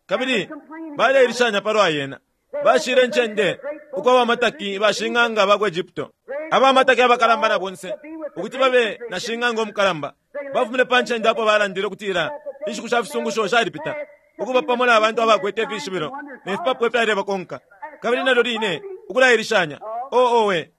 Kabili baleilishanya palwa yena. Bashile ncende uko abamataki bashing'anga ba ku Egypto. Abamataki abakalamba na bonse ukuti babe na shing'anga omukalamba. Bafumine pa ncende apo balandile ukutila inshiku sha fisungusho shalipita. Ukuba pamo na bantu abakwete ifishibilo ne fipapo ifyalebakonka. Kabili nalyo line ukulailishanya. O owe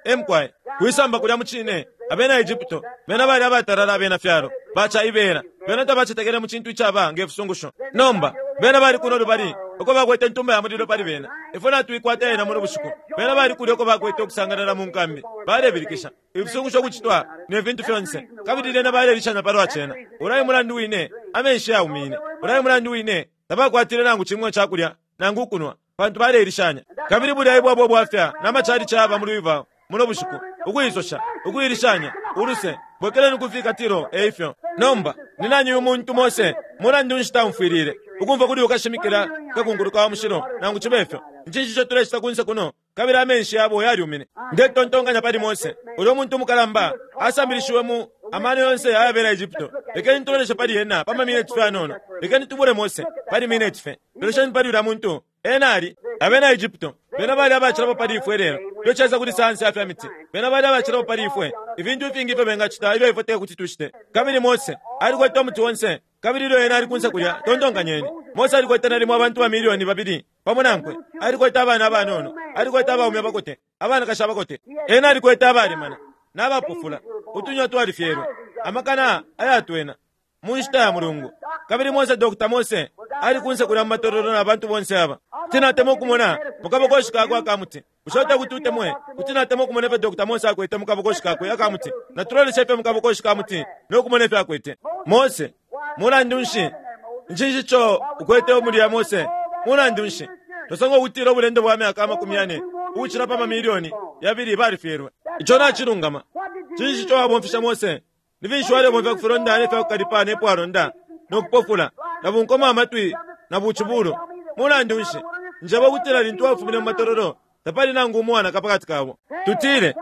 emkwaye kuisamba kulya mu cine abena Egypto bena bali abatalala abena fyalo bacha ibera bena tabacetekele mu cintu icaba nge fisungusho. Nomba bena bali kuno lubali uko bakwete ntumba ya mulilo pali bena. Ifwe natuikwata yena muno bushiku. Bena bali kulya uko bakwete okusanganala mu nkambi. Balebilikisha ifisungusho kucitwa ne fintu fyonse. Kabili lena balelishanya palwa cena. Ulayi mulandu wine amenshi yaumine. Ulayi mulandu wine tabakwatile nangu chimwe chakulya nangu ukunwa pantu baleilishanya. Kabili bulya ibwabwo bwafya namachali chaba mu Louisville muno bushiku ukuisosha ukuilishanya uluse bwekeleni kufika tiro eifyo. Nomba ninani uyu muntu Mose mulandu nshita mfwilile ukumva kuli ukashimikila kakunkuluka wa mushilo nangu chibefyo. Nchinshi tulecita kunse kuno kabili amenshi yabo yalyumine. Ndetontonkanya pali Mose ulyo muntu mukalamba asambilishiwe mu amano yonse ayabela Egypto. Lekeni tuloleshe pali yena pa mamineti fye anono. Lekeni tubule Mose pali mineti fye. Lolesheni pali ulya muntu ena ali abena Egypto. Bena bali abacilapo pali ifwe lelo. Lyocheza kuli sayansi ya miti. Bena bali abacilapo pali ifwe. Ifintu ifingi ifyo bengacita ifyo ifwe te kuti tushite. Kabili Mose alikwete umuti wonse. Kabili ilyo ena ali kunse kulya tontonkanyeni. Mose alikwete nalimo abantu ba milioni babili pamo nankwe. Alikwete abana abanono. Alikwete abaume abakote, abanakashi abakote. Ena alikwete abalemana n'abapofula. Utunywa twalifyelwe amakana ayatwena mu nshita ya mulungu. Kabili Mose Doctor Mose ali kunse kulya mu matololo na bantu bonse aba. Tinatema okumona mukabokoshi kakwe akamuti. Bushe kuti utemwe kuti natema okumona ifyo Doctor Mose akwete mukabokoshi kakwe akamuti. Natuloleshe ifyo mukabokoshi kamuti n'okumona ifyo akwete. Mose mulandu nshi nchinshi ico ukwete omuli Mose mulandu nshi tosanga okutila obulendo bwa myaka amakumi ane ukucila pa mamilioni yabili balifyelwe. Ico nacilungama. Chinshi ico wabomfisha Mose? Ni finshi walebomfya kufilonda ne fyakukalipa ne pwalonda nokupofula na bunkoma amatwi na buchibulo. Mulandu nshi njaba okutila lintu wafumine mu matololo tapali nangu umwana kapakati kabo. Tutile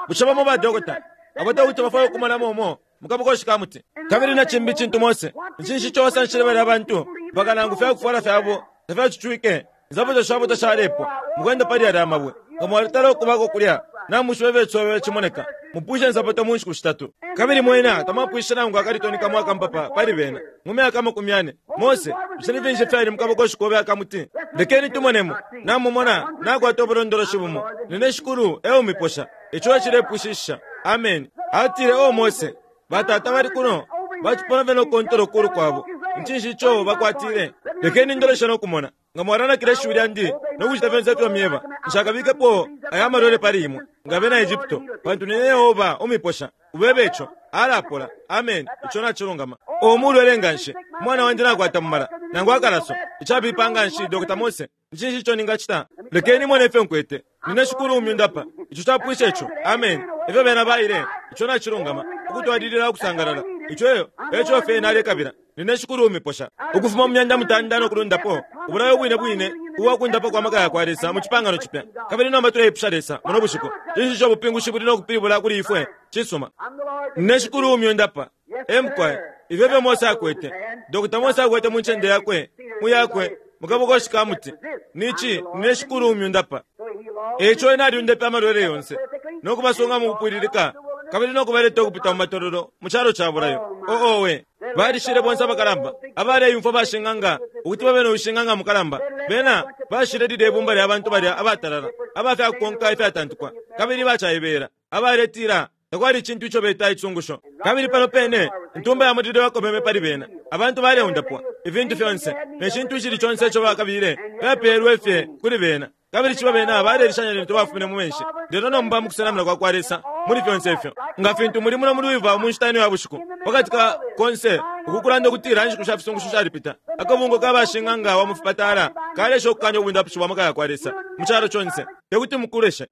bushe bamo badokota abata kuti bafwaye okumalamo omo mukabokoshi kamuti. Kabili na chimbi chintu Mose nchinshi ico wasanshile bali abantu mpaka nangu fyakufwala fyabo tafyacucwike nsapato shabo tashalepwa mukwenda pali yalya amabwe. Nga mwalitala okubako kulya namushiwe betsobe chimoneka mupwishe nsapato mu nshiku shitatu. Kabili mwena tamwapwishe nangu akalitoni kamwe akampapa pali bena mu myaka amakumi ane. Mose bushe ni finshi fyali mukabokoshi kobe akamuti? Lekeni tumonemo. Namumona nakwata obulondoloshi bumo. Nine shikulu eumiposha ico echilepwishisha. Amen. Atile o Mose batata bali kuno bachipona fye nokukontela okulu kwabo. Nchinshi ico bakwatile? Lekeni ndoleshe nokumona nga mwalanakile ishiwi lyandi nokucita fyonse ifyo myeba. Nshakabikepo aya malwele pali imwe nga bena Egypto pantu nine Yehova umiposha. Ubebe ico alapola. Amen. Ico nacilungama. Omulwele nganshi umwana wandi nakwata mumala nangu akalaso icabipa nganshi Doctor Mose. Nchinshi ico ningacita? Lekeni mone ifyo nkwete. Nine Shikulu umyundapa. Ico capwisha ico. Amen. Ifyo bena baile, ico nacilungama, ukutwalilila ukusangalala. Ico eyo, eco fye nalekabila. Nine Shikulu umiposha. Ukufuma mu myanda mutanda no kulundapo, ubulayo bwine bwine ubwakundapa kwa maka yakwa Lesa mu cipangano cipya. Kabili nomba tuleipusha Lesa muno bushiku, cinshi ico ubupingushi buli no kupilibula kuli ifwe? Cisuma. Nine Shikulu umyundapa. Emukwaye, ifyo fyo Mose akwete. Dokota Mose akwete mu ncende yakwe, mu yakwe, mukabokoshi ka muti. Nici, nine Shikulu umyundapa. Eco ena alyundepe amalwele yonse, no kubasunga mu kupwililika, kabili no kubaleta ukupita mu matololo mu calo ca bulayo. Oo owe, balishile bonse abakalamba, abaleyumfwa bashing'anga, ukuti babe no ushing'anga mukalamba. Bena bashile lilye ibumba lya bantu balya abatalala, abafyakukonka ifyatantukwa, kabili bacaibela, abaletila takwali icintu ico beta icungusho. Kabili pano pene intumba ya mulilo yakobeme pali bena, abantu baleundapwa, ifintu fyonse, ne cintu icili conse ico bakabile byapeelwe fye kuli bena. Kabili ciba bena balelishanya lintu bafumine mu menshi. Lelo nomba mu kusenamina kwa kwa Lesa muli fyonse ifyo, nga fintu muli muno muli wiva mu nshita ino ya bushiku, pakati ka konse ukukulanda ukutila inshiku sha fisungusho shalipita, akabungo ka bashing'anga wa mu fipatala kalesha ukukanya ubundapishi bwa maka ya kwa Lesa mu calo conse. Tekuti mukuleshe.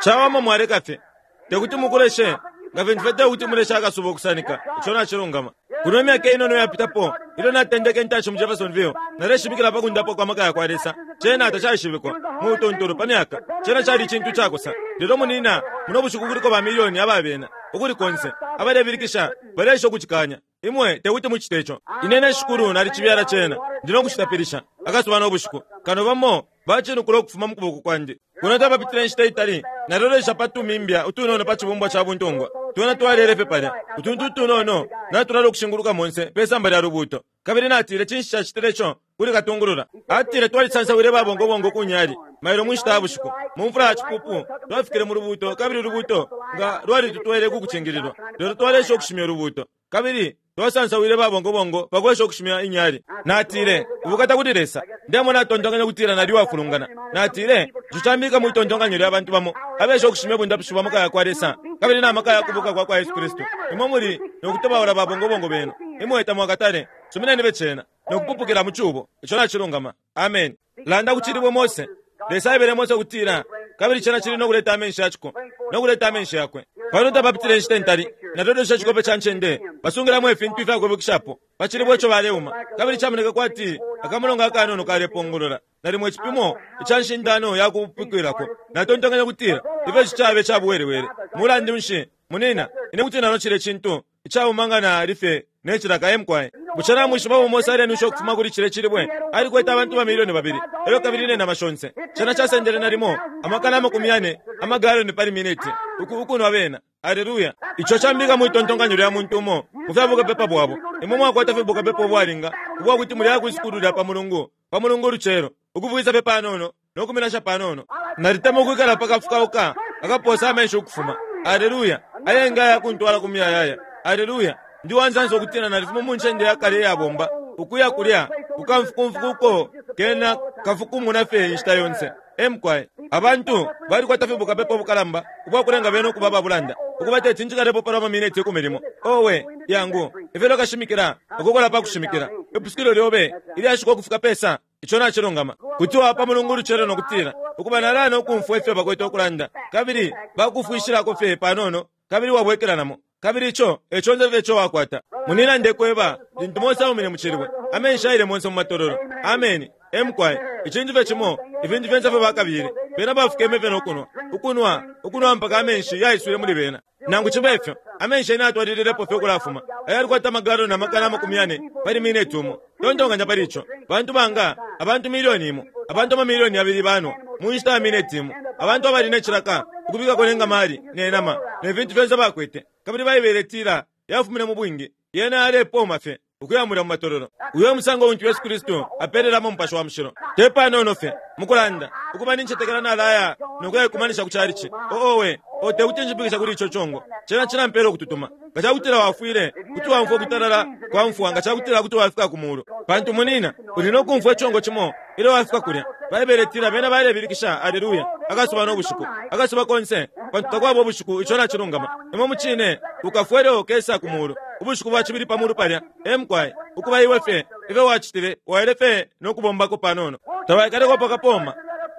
Cawama mwaleka fye. Tekuti mukuleshe. Nga fintu fye tekuti muleshe akasuba ukusanika. Ico nacilungama. Kuno imyaka inono yapitapo, ilyo natendeke intanshi mu Jeffersonville, naleshimikila pa kundapwa kwa maka yakwa Lesa. Cena tacaishibikwa mu butuntulu pa myaka. Cena cali icintu cakosa. Lelo munina, muno bushiku kuliko ba milioni ababena, ukuli konse, abalebilikisha, balesha ukucikanya. Imwe tekuti mucite ico. Ine ne Shikulu nalicibyala cena, ndi no kucitapilisha akasuba no bushiku. Kano bamo bacinukula ukufuma mu kuboko kwandi. Kuno tapapitile inshita itali, nalolesha pa tumimbya utunono pa cibumbwa ca buntungwa. Twena twalele fye palya, utuntu utunono natulala ukushinguluka monse pe samba lya lubuuto. Kabili natile, cinshi cacitile ico kuli katungulula? Atile twalisansawile babongobongo ku nyali mailo mu nshita ya bushiku. Mu mfula ya cipupu twafikile mu lubuuto, kabili ulubuuto nga lwalitutwele ku kucingililwa. Lelo twalesha ukushimya ulubuuto, kabili twasansawile babongobongo pakwesha ukushimya inyali. Natile, ubukata kuli Lesa. Ndemona natontonkanya ukutila nali wafulungana. Natile, ico cambika mwitontonkanyo lya bantu bamo abesha ukushimya ubundapishi bwa maka yakwa Lesa kabili na maka ya kubuka kwa kwa Yesu Kristu. Imwe muli no kutobaula babongobongo benu. Imwe tamwakatale. Sumineni becena no kupupukila mu cubo. Ico nacilungama. Amen. Landa kucilibwe Mose. Lesa aebele Mose ukutila, kabili cena cili no kuleta amenshi ya ciko, no kuleta amenshi yakwe. Pano tapapitile inshita intali, nalolesha icikope ca ncende, basungilamo ifintu ifyakwibukishapo pa cilibwe ico baleuma, kabili camoneka kwati akamulongo akanono kalepongolola, nalimo icipimo ica nshindano ya kupukwilako. Natontonkanya ukutila ifyo ici cabe cabuwelewele. Mulandu nshi, munina, ine kuti nanocile icintu icauma nga nali fye ne cilaka emukwaye. Bushe namwishiba umo Mose alenwisha ukufuma kuli cile cilibwe? Alikwete abantu bamilioni babili, elyo kabili ne nama shonse. Cena casendele nalimo amakana amakumi yane amagaloni pali mineti uku ukunwa bena. Aleluya. Ico cambika mwitontonkanyo lya muntu umo mu fya bukapepa bwabo. Imwe mwakwata fye bukapepa ubwalinga ubwakuti muli akwisukulu lya pa mulungu, pa mulungu ulucelo, ukuvwisa fye panono no kuminasha panono. Nalitema ukwikala pa kafukauka akaposa amenshi ukufuma. Aleluya. Ayenga yakuntwala ku muyayaya. Aleluya. Ndi wansansa ukutila nalifuma mu ncende ya kale iyabomba, ukuya kulya kukamfukumfuku uko kena kafukumuna fye inshita yonse. Emukwaye, abantu balikwata fye bukapepa ubukalamba ubwakulenga bena ukuba ababulanda, ukuba teti njikalepo palwa mamineti ikumi limo. Owe, yangu, ifyo lokashimikila, ukukola pa kushimikila. Ipusukilo lyobe ilyashikwa ukufika pesa, ico nacilungama. Kuti wapa mulungu ulucelo no kutila, ukuba nalana ukumfwa ifyo bakwete ukulanda, kabili bakufwishilako fye panono, kabili wabwekelanamo. Kabili ico eco nze fye ico wakwata. Munina ndekweba, lintu Mose aumine mu cilibwe, amenshi aile monse mu matololo. Ameni. Emukwaye, icintu fye cimo, ifintu fyonse fye bakabile, bena bafukeme fye no kunwa, ukunwa, ukunwa mpaka amenshi yaiswile muli bena. Nangu cibe ifyo, amenshi yena atwalililepo fye ukulafuma. Ayalikwata amagaloni amakana amakumi yane pali mineti umo. Tontonkanya pali ico. Bantu banga, abantu milioni imo, abantu amamilioni yabili banwa mu nshita ya mineti imo. Abantu abali ne cilaka, ukubikako ne ngamali, ne nama, ne fintu fyonse bakwete. Kabili Baibele itila yafumine mu bwingi, yena yalepooma fye ukuyamulya mu matololo. Uyo musango untu Yesu Kristu apelelamo Mupashi wa Mushilo. Te panono fye mukulanda, ukuba nincetekela nalaya no kuyaikumanisha ku calici. Oowe, o tekuti njipikisha kuli ico congo. Cena cilampela ukututuma. Nga cakutila wafwile, kuti wamfwa ukutalala kwa mfwa nga cakutila kuti wafika ku mulu. Pantu munina, uli no kumfwa icongo cimo ilyo wafika kulya. Baibele itila bena balebilikisha aleluya akasuba no bushiku, akasuba konse, pantu takwaba ubushiku. Ico nacilungama. Imwe mucine ukafwa ilyo ukesa ku mulu. Ubushiku bwa cibili pa mulu palya, emukwaye, ukuba iwe fye ifyo wacitile, waile fye no kubombako panono. Tawaikaleko pakapoma,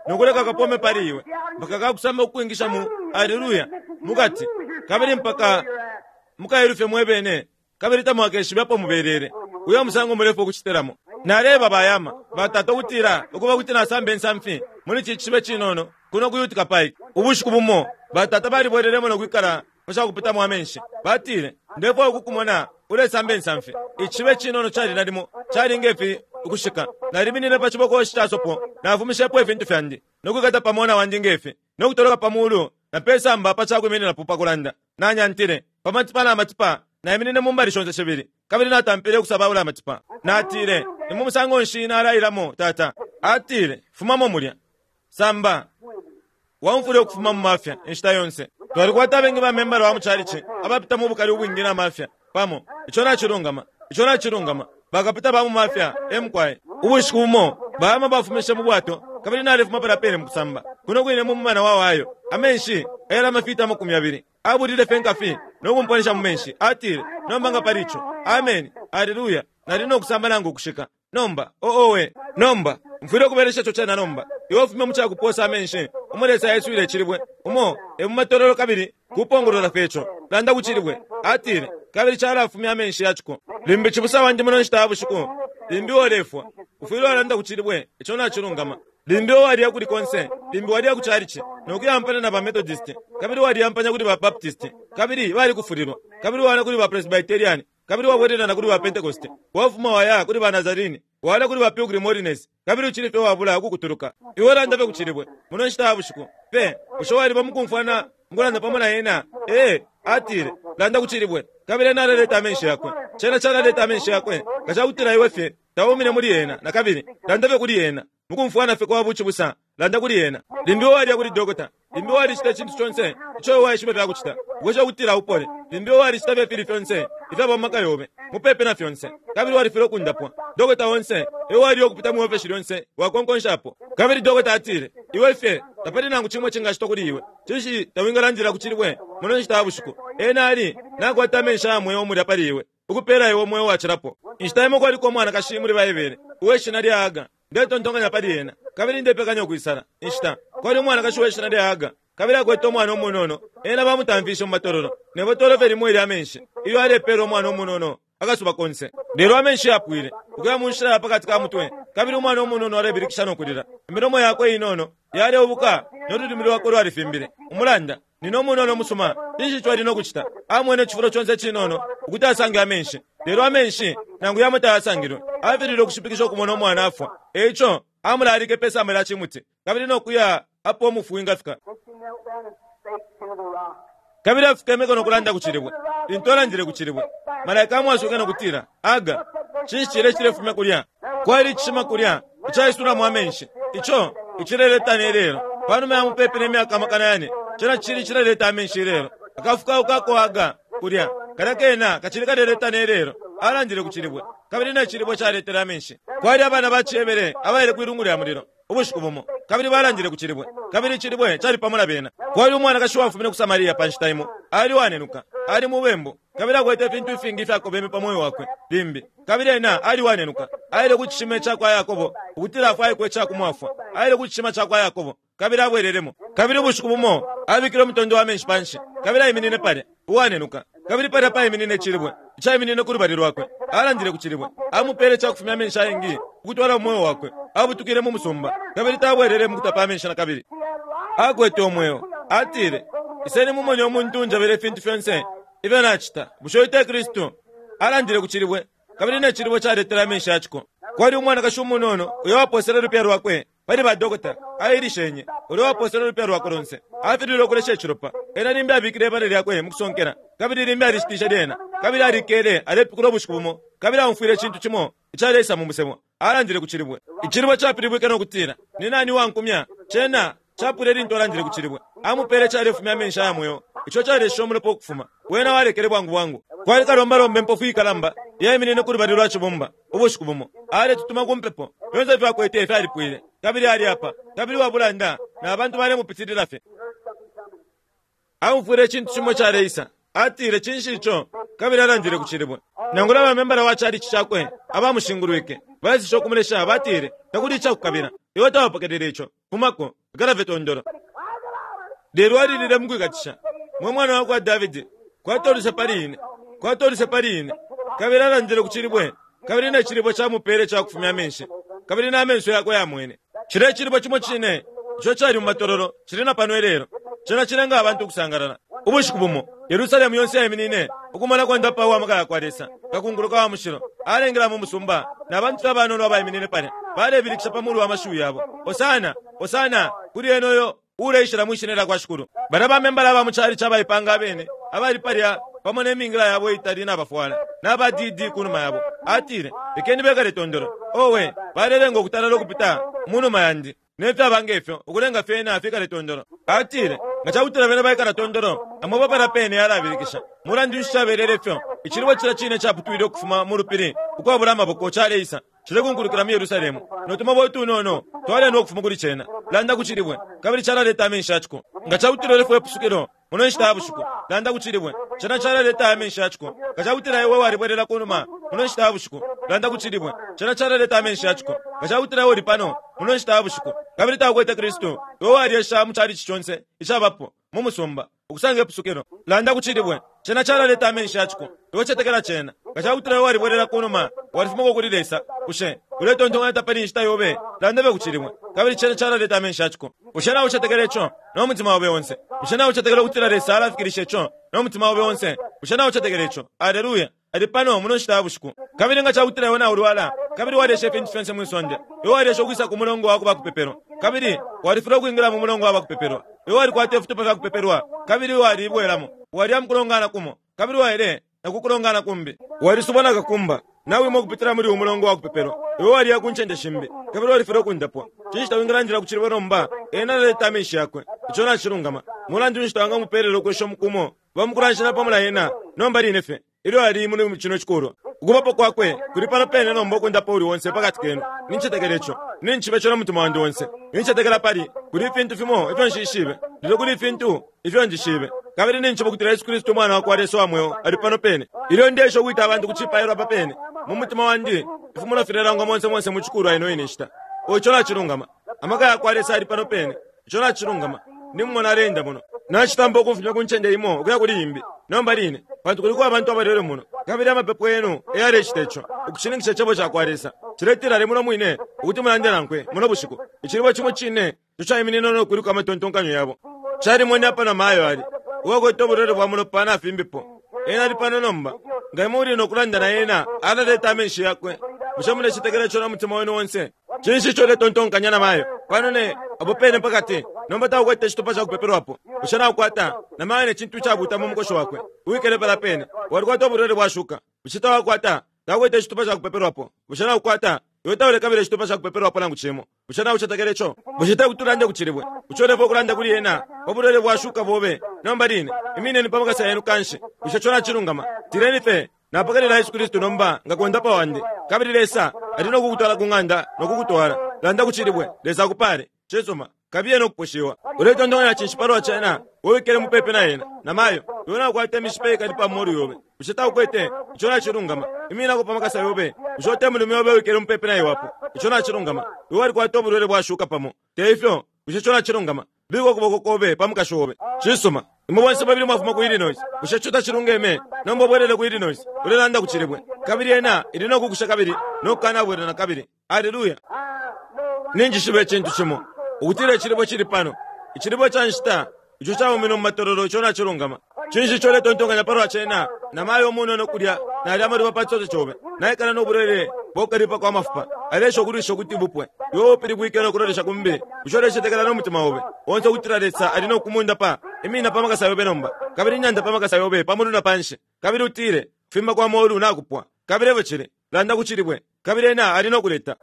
no kuleka kapome pali iwe. Mpaka kakusamba ukukwingisha mu aleluya mukati, kabili mpaka mukailufye mwebene, kabili tamwakeshibe apo mubelele. Uyo musango mulefu ukucitilamo. Naleba bayama batata ukutila ukuba kuti nasamba insamfi muli ci cishibe cinono kuno ku Utica Pike. Ubushiku bumo batata balibwelelemo no kwikala pa cakupitamo amenshi. Batile, ndefwaya ukukumona ulesamba insamfi. Icishibe cinono cali nalimo cali ngefi ukushika. Naliminine pa cibokoshi ca sopo, nafumishepo ifintu fyandi no kwikata pa mona wandi ngefi, no kutoloka pa mulu na pesamba pa cakwimininapo pa kulanda. Nanyantile pa matipa na matipa, naiminine mu mbali shonse shibili, kabili natampile ukusabaula amatipa. Natile, ni mu musango nshi nalailamo tata? Atile, fumamo mulya samba waumfule ukufuma mu mafya inshita yonse. Twalikwata abengi ba membala wa muchalichi abapita mu bukali ubwingi na mafya pamo. Ico nacilungama, ico nacilungama. Bakapita ba mu mafya emukwaye. Ubushiku bumo bayama bafumishe mu bwato, kabili nalefuma pala pene mu kusamba kuno kwine mu mumana wa wayo. Amenshi ayali amafita amakumi abili abulile fye nkafi no kumponesha mu menshi. Atile, nomba nga pali ico, amen, aleluya, nali no kusamba nangu ukushika. Nomba oowe, nomba mfwile ukubelesha ico cena. Nomba iwe ufume mu cakuposa amenshi umo Lesa yeswile icilibwe, umo e mu matololo, kabili kupongolola fye ico. Landa ku cilibwe, atile, kabili calafumya amenshi yaciko. Limbi cibusa wandi muno nshita ya bushiku, limbi wolefwa, ufwile walanda ku cilibwe. Ico nacilungama. Limbi waliya kuli konse, limbi waliya ku chalichi nokuyampana na ba Methodist, kabili waliyampanya kuli ba Baptist, kabili balikufulilwa, kabili wala kuli ba Presbyterian, kabili wabwelela na kuli ba Pentecost, wafuma waya kuli ba Nazarene, wala kuli ba Pilgrim Holiness, kabili uchili fye wabula ukukutuluka. Iwe landa fye ku cilibwe muno nshita ya bushiku pe. Bushe waliba mukumfwana mukulanda pamo na ena? Ee, atile, landa ku cilibwe, kabili ena alaleta amenshi yakwe. Cena calaleta amenshi yakwe nga cakutila iwe fye taumine muli ena na kabili. Landa fye kuli ena mukumfwana fye kwa bucibusa, landa kuli ena. Limbi waliya kuli dokota, limbi walicita icintu conse ico waishibe fyakucita ukwesha ukutila upole, limbi walicita fye fili fyonse ifyaba mu maka yobe mupepe na fyonse, kabili walifile ukundapwa. Dokota onse iwe waliyo ukupita mu ofesi lyonse wakonkonshapo, kabili dokota atile, iwe fye tapali nangu cimwe cingacitwa kuli iwe. Cinshi tawingalandila ku cilibwe muno nshita ya bushiku? Ena ali nakwata amenshi aya mweo mulya pali iwe, ukupela iwe umweo wacilapo. Inshita imo kwaliko umwanakashi muli Baibele uweshina lya Haga. Ndetontonkanya pali ena, kabili ndepekanya ukwisala inshita. Kwali umwanakashi uweshina lya Haga, kabili akwete umwana umunono. Ena bamutamfishe mu matololo ne botolo fye limo ilya amenshi ilyo alepela umwana umunono akasuba konse. Lelo amenshi yapwile ukuya mu nshila ya pakati ka mutwe, kabili umwana umunono alebilikisha no kulila. Imilomo yakwe inono yaleubuka no lulimi lwakwe lwalifimbile. Umulanda nino umunono musuma, cinshi ico ali no kucita? Amwene icifulo conse cinono ukuti asange amenshi, lelo amenshi nangu yamo tayasangilwe. Afilile ukushipikisha ukumona umwana afwa. Eico amulalike pe samba lya cimuti, kabili no kuya apo umufu wingafika. Kabili afukemeko no kulanda ku cilibwe. Lintu alandile ku cilibwe, malaika amwasuke no kutila, Aga, cinshi cile cilefumya kulya? Kwali icishima kulya icaisulamo amenshi, ico icileleta ne lelo. Panuma ya mupepi ne myaka amakana yane, cena cili cileleta amenshi ilelo. Akafukauka ako Aga kulya kalya kena kacili kaleleta ne lelo. Alandile ku cilibwe, kabili ne cilibwe caletele amenshi. Kwali abana ba cihebere abaile kwilungu lya mulilo ubushiku bumo, kabili balandile ku cilibwe, kabili icilibwe cali pamo na bena. Kwali umwanakashi wafumine ku Samaria pa nshita imo, ali wanenuka, ali mubembu, kabili akwete ifintu ifingi ifyakobeme pa moyo wakwe limbi, kabili ena ali wanenuka. Aile ku cishima ca kwa Yakobo ukutila afwaikwe icakumwafwa. Aile ku cishima ca kwa Yakobo, kabili abwelelemo. Kabili ubushiku bumo abikile umutondo wa menshi panshi, kabili aiminine palya uwanenuka, kabili palya paiminine icilibwe icaiminine ku lubali lwakwe. Alandile ku cilibwe, amupele icakufumya amenshi ayengi ukutwala umweo wakwe. Abutukile mu musumba, kabili tabwelele mu kutapa amenshi na kabili. Akwete umweo. Atile, iseni mumone umuntu unjabele ifintu fyonse ifyo nacita. Bushe uyu te Kristu? Alandile ku cilibwe, kabili ne cilibwe caletele amenshi yaciko. Kwali umwanakashi umunono uyo waposele ulupya lwakwe pali ba dokota, ailishenye uyo waposele ulupya lwakwe lonse. Afilile ukulesha icilopa. Ena limbi abikile ibale lyakwe mu kusonkela, kabili limbi alishitishe lyena, kabili alikele alepikula ubushiku bumo, kabili aumfwile icintu cimo icaleisa mu musebo. Alandile ku cilibwe. Icilibwe capilibwike no kutila, ni nani wankumya? Cena capwile lintu alandile ku cilibwe. Amupele calefumya amenshi aya mweo, ico calesha umulopa ukufuma. Wena walekele bwangu bwangu. Kwali kalombalomba impofu ikalamba yaiminine ku lubali lwa cibumba ubushiku bumo, aletutuma ku mpepo. Fyonse ifyo akwete fyalipwile, kabili ali apa, kabili wabulanda, na bantu balemupitilila fye. Aumfwile icintu cimo caleisa. Atile, cinshi ico? Kabili alandile ku cilibwe. Nangula bamembala wa chalichi cakwe abamushingulwike baeseshe ukumulesha, batile, takuli icakukabila, iwe tawapokelele ico, fumako, ikala fye tondolo. Lelo alilile mukwikatisha, mwe mwana wakwa Davidi, kwatoluse pali ine, kwatoluse pali ine. Kabili alandile ku cilibwe, kabili ne cilibwe camupele cakufumya amenshi, kabili n'amenso yakwe yamwene. Cile cilibwe cimo cine ico cali mu matololo cili na pano ilelo. Cena cilenga abantu ukusangalala. Ubushiku bumo Yerusalemu yonse yaiminine ukumona kondapa wa maka yakwa Lesa, kakunguluka wa mushilo alengela mu musumba, na bantu abanono abaiminine palya balebilikisha pa mulu wa mashiwi yabo, Hosana, Hosana kuli ena uyo uleishila mwishina lya kwa Shikulu. Bana bamembala aba mu cali cabaipanga abene abali palya pamo ne mingila yabo itali nabafwala naba D D kunuma yabo. Atile, lekeni bekale tondolo. Owe, balelenga ukutalala ukupita munuma yandi nefyaba ngefyo ukulenga fyena fikale tondolo. Atile, nga cakutila bena baikala tondolo, amoba pala pene yalabilikisha. Mulandu nshi cabelele fyo? Icilibwe cila cine caputwile ukufuma mu lupili ukwabula amaboko caleisa cilekunkulukila mu Yerusalemu. Notumobo utunono twalena ukufuma kuli cena. Landa ku cilibwe, kabili calaleta amenshi yaciko. Nga cakutila ulefwaya ipusukilo muno nshita ya bushiku, landa ku cilibwe, cena calaleta amenshi yaciko. Nga cakutila iwe walibwelela kunuma muno nshita ya bushiku, landa ku cilibwe, cena calaleta amenshi yaciko. Nga cakutila iwe uli pano muno nshita ya bushiku, kabili taukwete Kristu, iwe walyesha mu calici conse icabapo mu musumba ukusanga ipusukilo, landa ku cilibwe, cena calaleta amenshi yaciko. Iwe cetekela cena. Nga cakutila iwe walibwelela kunuma, walifumako kuli Lesa, bushe uletontonkanya tapali inshita yobe, landa be ku cilibwe, kabili cena calaleta amenshi yaciko. Bushe nawe ucetekela ico no mutima obe onse? Bushe nawe ucetekela ukutila Lesa alafikilisha ico no mutima obe onse? Bushe nawe ucetekela ico? Aleluya! Ali pano muno nshita ya bushiku. Kabili nga cakutila iwe naulwala, kabili walyesha ifintu fyonse mwi sonde, iwe walyesha ukwisa ku mulongo wa kubakupepelwa, kabili walifilwa ukwingila mu mulongo wa bakupepelwa, iwe walikwata ifitupa fya kupepelwa, kabili walibwelamo, walya mukulongana kumo, kabili waile na kukulongana kumbi, walisubwa na kakumba, nawe imwe ukupitila muli umulongo wa kupepelwa, iwe walya ku ncende shimbi, kabili walifilwa ukundapwa. Cinshi tawingalandila ku cilibwe nomba? Ena alaleta amenshi yakwe. Ico nacilungama. Mulandu nshi tawangamupeelela ukwesha umukumo bamukulanshana pamo na ena nomba line fye ilyo ali muli cino cikulwa? Ukubapo kwakwe kuli pano pene nomba ukundapa uli onse pakati kenu. Nincetekela ico. Nincishiba ico no mutima wandi onse. Nincetekela pali kuli ifintu fimo ifyo nshishibe, lelo kuli ifintu ifyo njishibe. Kabili nincishiba ukutila Yesu Kristu umwana wakwa Lesa wa mweo ali pano pene. Ilyo ndesha ukwita abantu ku cipailo apa pene, mu mutima wandi ifimulo filelangwa monse monse mu cikulwa ino ine nshita. Ico nacilungama. Amaka yakwa Lesa ali pano pene. Ico nacilungama. Nimumona alenda muno. Nacitampa ukumfumya ku ncende imo ukuya kuli imbi nomba line, pantu kuliko abantu abalwele muno, kabili amapepo yenu eyalecita ico ukushininkisha icebo cakwa Lesa. Ciletila ali muno mwine ukuti mulande nankwe muno bushiku. Icilibwe cimo cine ico caiminina no kuliko amatontonkanyo yabo. Calimwene apa na mayo ali uwakwete ubulwele bwa mulopa nafimbipo. Ena ali pano nomba. Nga imwe uli nokulanda na ena, alaleta amenshi yakwe. Bushe mulecetekela ico no mutima wenu onse? Cinshi ico uletontonkanya na mayo pano ne apo pene pakati nomba taukwete icitupa cakupepelwapo? Bushe naukwata na mayo ne cintu icabuta mu mukoshi wakwe uwikele pala pene? Walikwata ubulwele bwashuka. Bushe tawakwata? Taukwete icitupa cakupepelwapo. Bushe naukwata? Iwe taulekabila icitupa cakupepelwapo nangu cimo. Bushe naucetekela ico? Bushe tekuti ulande ku cilibwe? Bushe ulefa ukulanda kuli ena pa bulwele bwashuka bobe nomba line? Imineni pa makasa yenu kanshi. Bushe ico nacilungama? Tileni fye napokelela Yesu Kristu nomba nga kondapa wandi, kabili Lesa ali nokukutwala ku ng'anda nokukutwala. Landa ku cilibwe, Lesa akupale. Cisuma, kabiye nokuposhiwa. Uletontonkanya cinshi palwa cena? Uwikele mupepi na ena na mayo, iwe naukwata imishipa ikali pa molu yobe. Bushe taukwete? Ico nacilungama. Iminako pa makasa yobe. Bushe ute mulume yobe uwikele mupepi na iwe apo? Ico nacilungama. Iwe walikwata ubulwele bwashuka pamo. Te ifyo? Bushe ico nacilungama? Bika ukuboko kobe pa mukashi obe. Cisuma, imwe bonse babili mwafuma ku Illinois. Bushe ico tacilungeme? Nomba ubwelele ku Illinois, ulelanda ku cilibwe, kabili ena ili nokukusha kabili nokukanabwela na kabili. Aleluya! Ninjishiba icintu cimo, ukutila icilibwe cili pano. Icilibwe ca nshita ico caumine mu matololo, ico nacilungama. Cinshi ico uletontonkanya palwa cena? Na mayo umunono kulya nalya amaluba pa cisote cobe, naikala nobulwele bwakukalipa kwa mafupa, alesha ukulwisha ukuti bupwe. Iwe upilibwike nokulolesha kumbi. Bushe ulecetekela no mutima obe onse ukutila Lesa ali nokumundapa? Imina pa makasa yobe nomba, kabili nyanda pa makasa yobe pamulu na panshi, kabili utile, kufimba kwa molu nakupwa. Kabili evo cili, landa ku cilibwe, kabili ena ali nokuleta.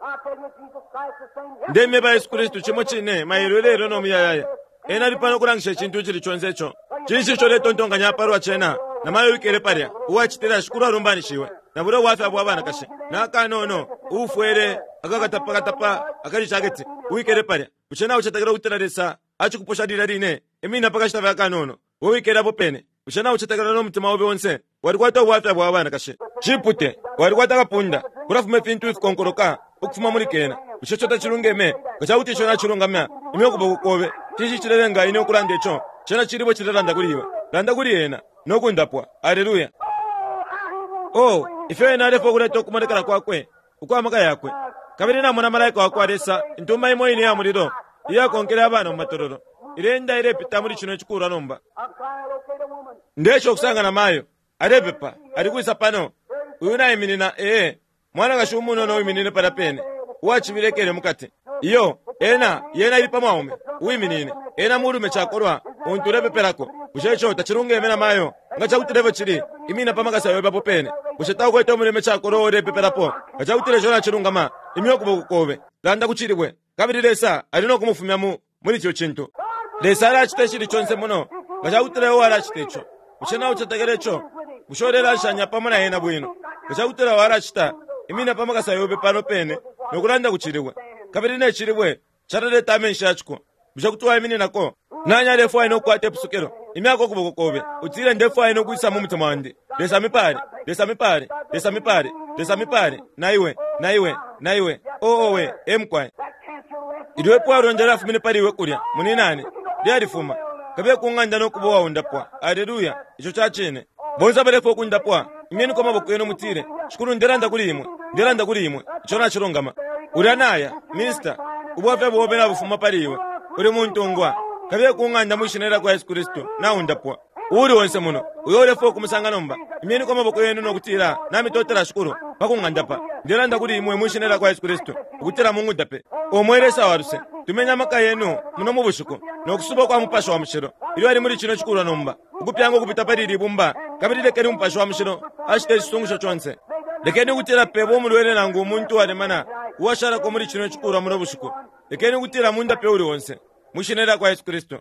Ndemyeba Yesu Kristu cimo cine mailo ilelo no muyayaya. Ena ali pano kulangisha icintu icili conse ico. Cinshi ico uletontonkanya palwa cena? Na mayo uwikele palya, uwacitila Shikulu alumbanishiwe, na bulya ubwafya bwa banakashi, na akanono uufwele akakatapakatapa akali jaketi, uwikele palya. Bushe naucetekela ukutila Lesa acikuposha lilya line? Imina pakashita fye akanono, uwikele apo pene. Bushe naucetekela no mutima obe onse? Walikwata ubwafya bwa banakashi. Cipute, walikwata akapunda, kulafuma ifintu ifikonkoloka ukufuma muli kena. Bushe ico tacilungeme? Nga cakuti ico nacilungama, imya ukuboko kobe. Cinshi cilelenga ine ukulanda ico? Cena cilibwe cilelanda kuli iwe. Landa kuli ena no kundapwa. Aleluya! Oh, ifyo ena alefwaya ukuleta ukumonekela kwakwe ukwa maka yakwe! Kabili namona malaika wakwa Lesa, intumba imo ine ya mulilo iyakonkele abana mu matololo, ileenda ilepita muli cino cikulwa nomba. Ndesha ukusanga na mayo alepepa, ali kwisa pano. Uyu naiminina, ee, mwanakashi umunono uwiminine palya pene, uwacibilekele mukati. Iyo, ena, yena ili pa mwaume uwiminine. Ena mulume cakolwa untu ulepepelako. Bushe ico tacilungeme na mayo? Nga cakutila efyo cili, imina pa makasa yobe apo pene. Bushe taukwete umulume cakolwa uo ulepepelapo? Nga cakutila ico nacilungama, imya ukuboko kobe, landa ku cilibwe, kabili Lesa ali no kumufumya mu muli ico cintu. Lesa alacita icili conse muno, nga cakutila iwe walacita ico. Bushe naucetekela ico? Bushe ulelanshanya pamo na ena bwino? Nga cakutila walacita, imina pa makasa yobe pano pene no kulanda ku cilibwe, kabili ne cilibwe calaleta amenshi ya ciko. Bushe kuti waimininako? Nani alefwaya no kukwata ipusukilo? Imyako ukuboko kobe, utile, Ndefwaya no kwisa mu mutima wandi. Lesa mipale, Lesa mipale, Lesa mipale, Lesa mipale, na iwe, na iwe, na iwe. Oo owe, emukwaye. Ilyo ipwalonda lyafumine pali iwe kulya, muninane, lyalifuma. Kabiye ku ng'anda no kuba uwaundapwa. Aleluya! Ico ca cine. Bonse abalefwaya ukundapwa, imyeniko amaboko yenu mutile, Shikulu, ndelanda kuli imwe, ndelanda kuli imwe. Ico nacilungama. Ulya naya, minista, ubwafya bobe nabufuma pali iwe. Uli muntungwa. Kabiye ku ng'anda mwi shina lya kwa Yesu Kristu, naundapwa. Uuli onse muno uyo ulefwaya ukumusanga nomba, imyeniko amaboko yenu no kutila, Namitotela Shikulu pa kung'andapa. Ndelanda kuli imwe mwi shina lya kwa Yesu Kristu, ukutila mungundape. O mwe Lesa wa luse, tumeni amaka yenu muno mu bushiku no kusuba kwa Mupashi wa Mushilo ilyo ali muli cino cikulwa nomba, ukupyanga ukupita pali ili bumba, kabili lekeni Umupashi wa Mushilo acite icisungusho conse. Lekeni ukutila peba umulwele nangu umuntu uwalemana uwashalako muli cino cikulwa muno bushiku. Lekeni ukutila mundape uuli onse mwi shina lya kwa Yesu Kristu.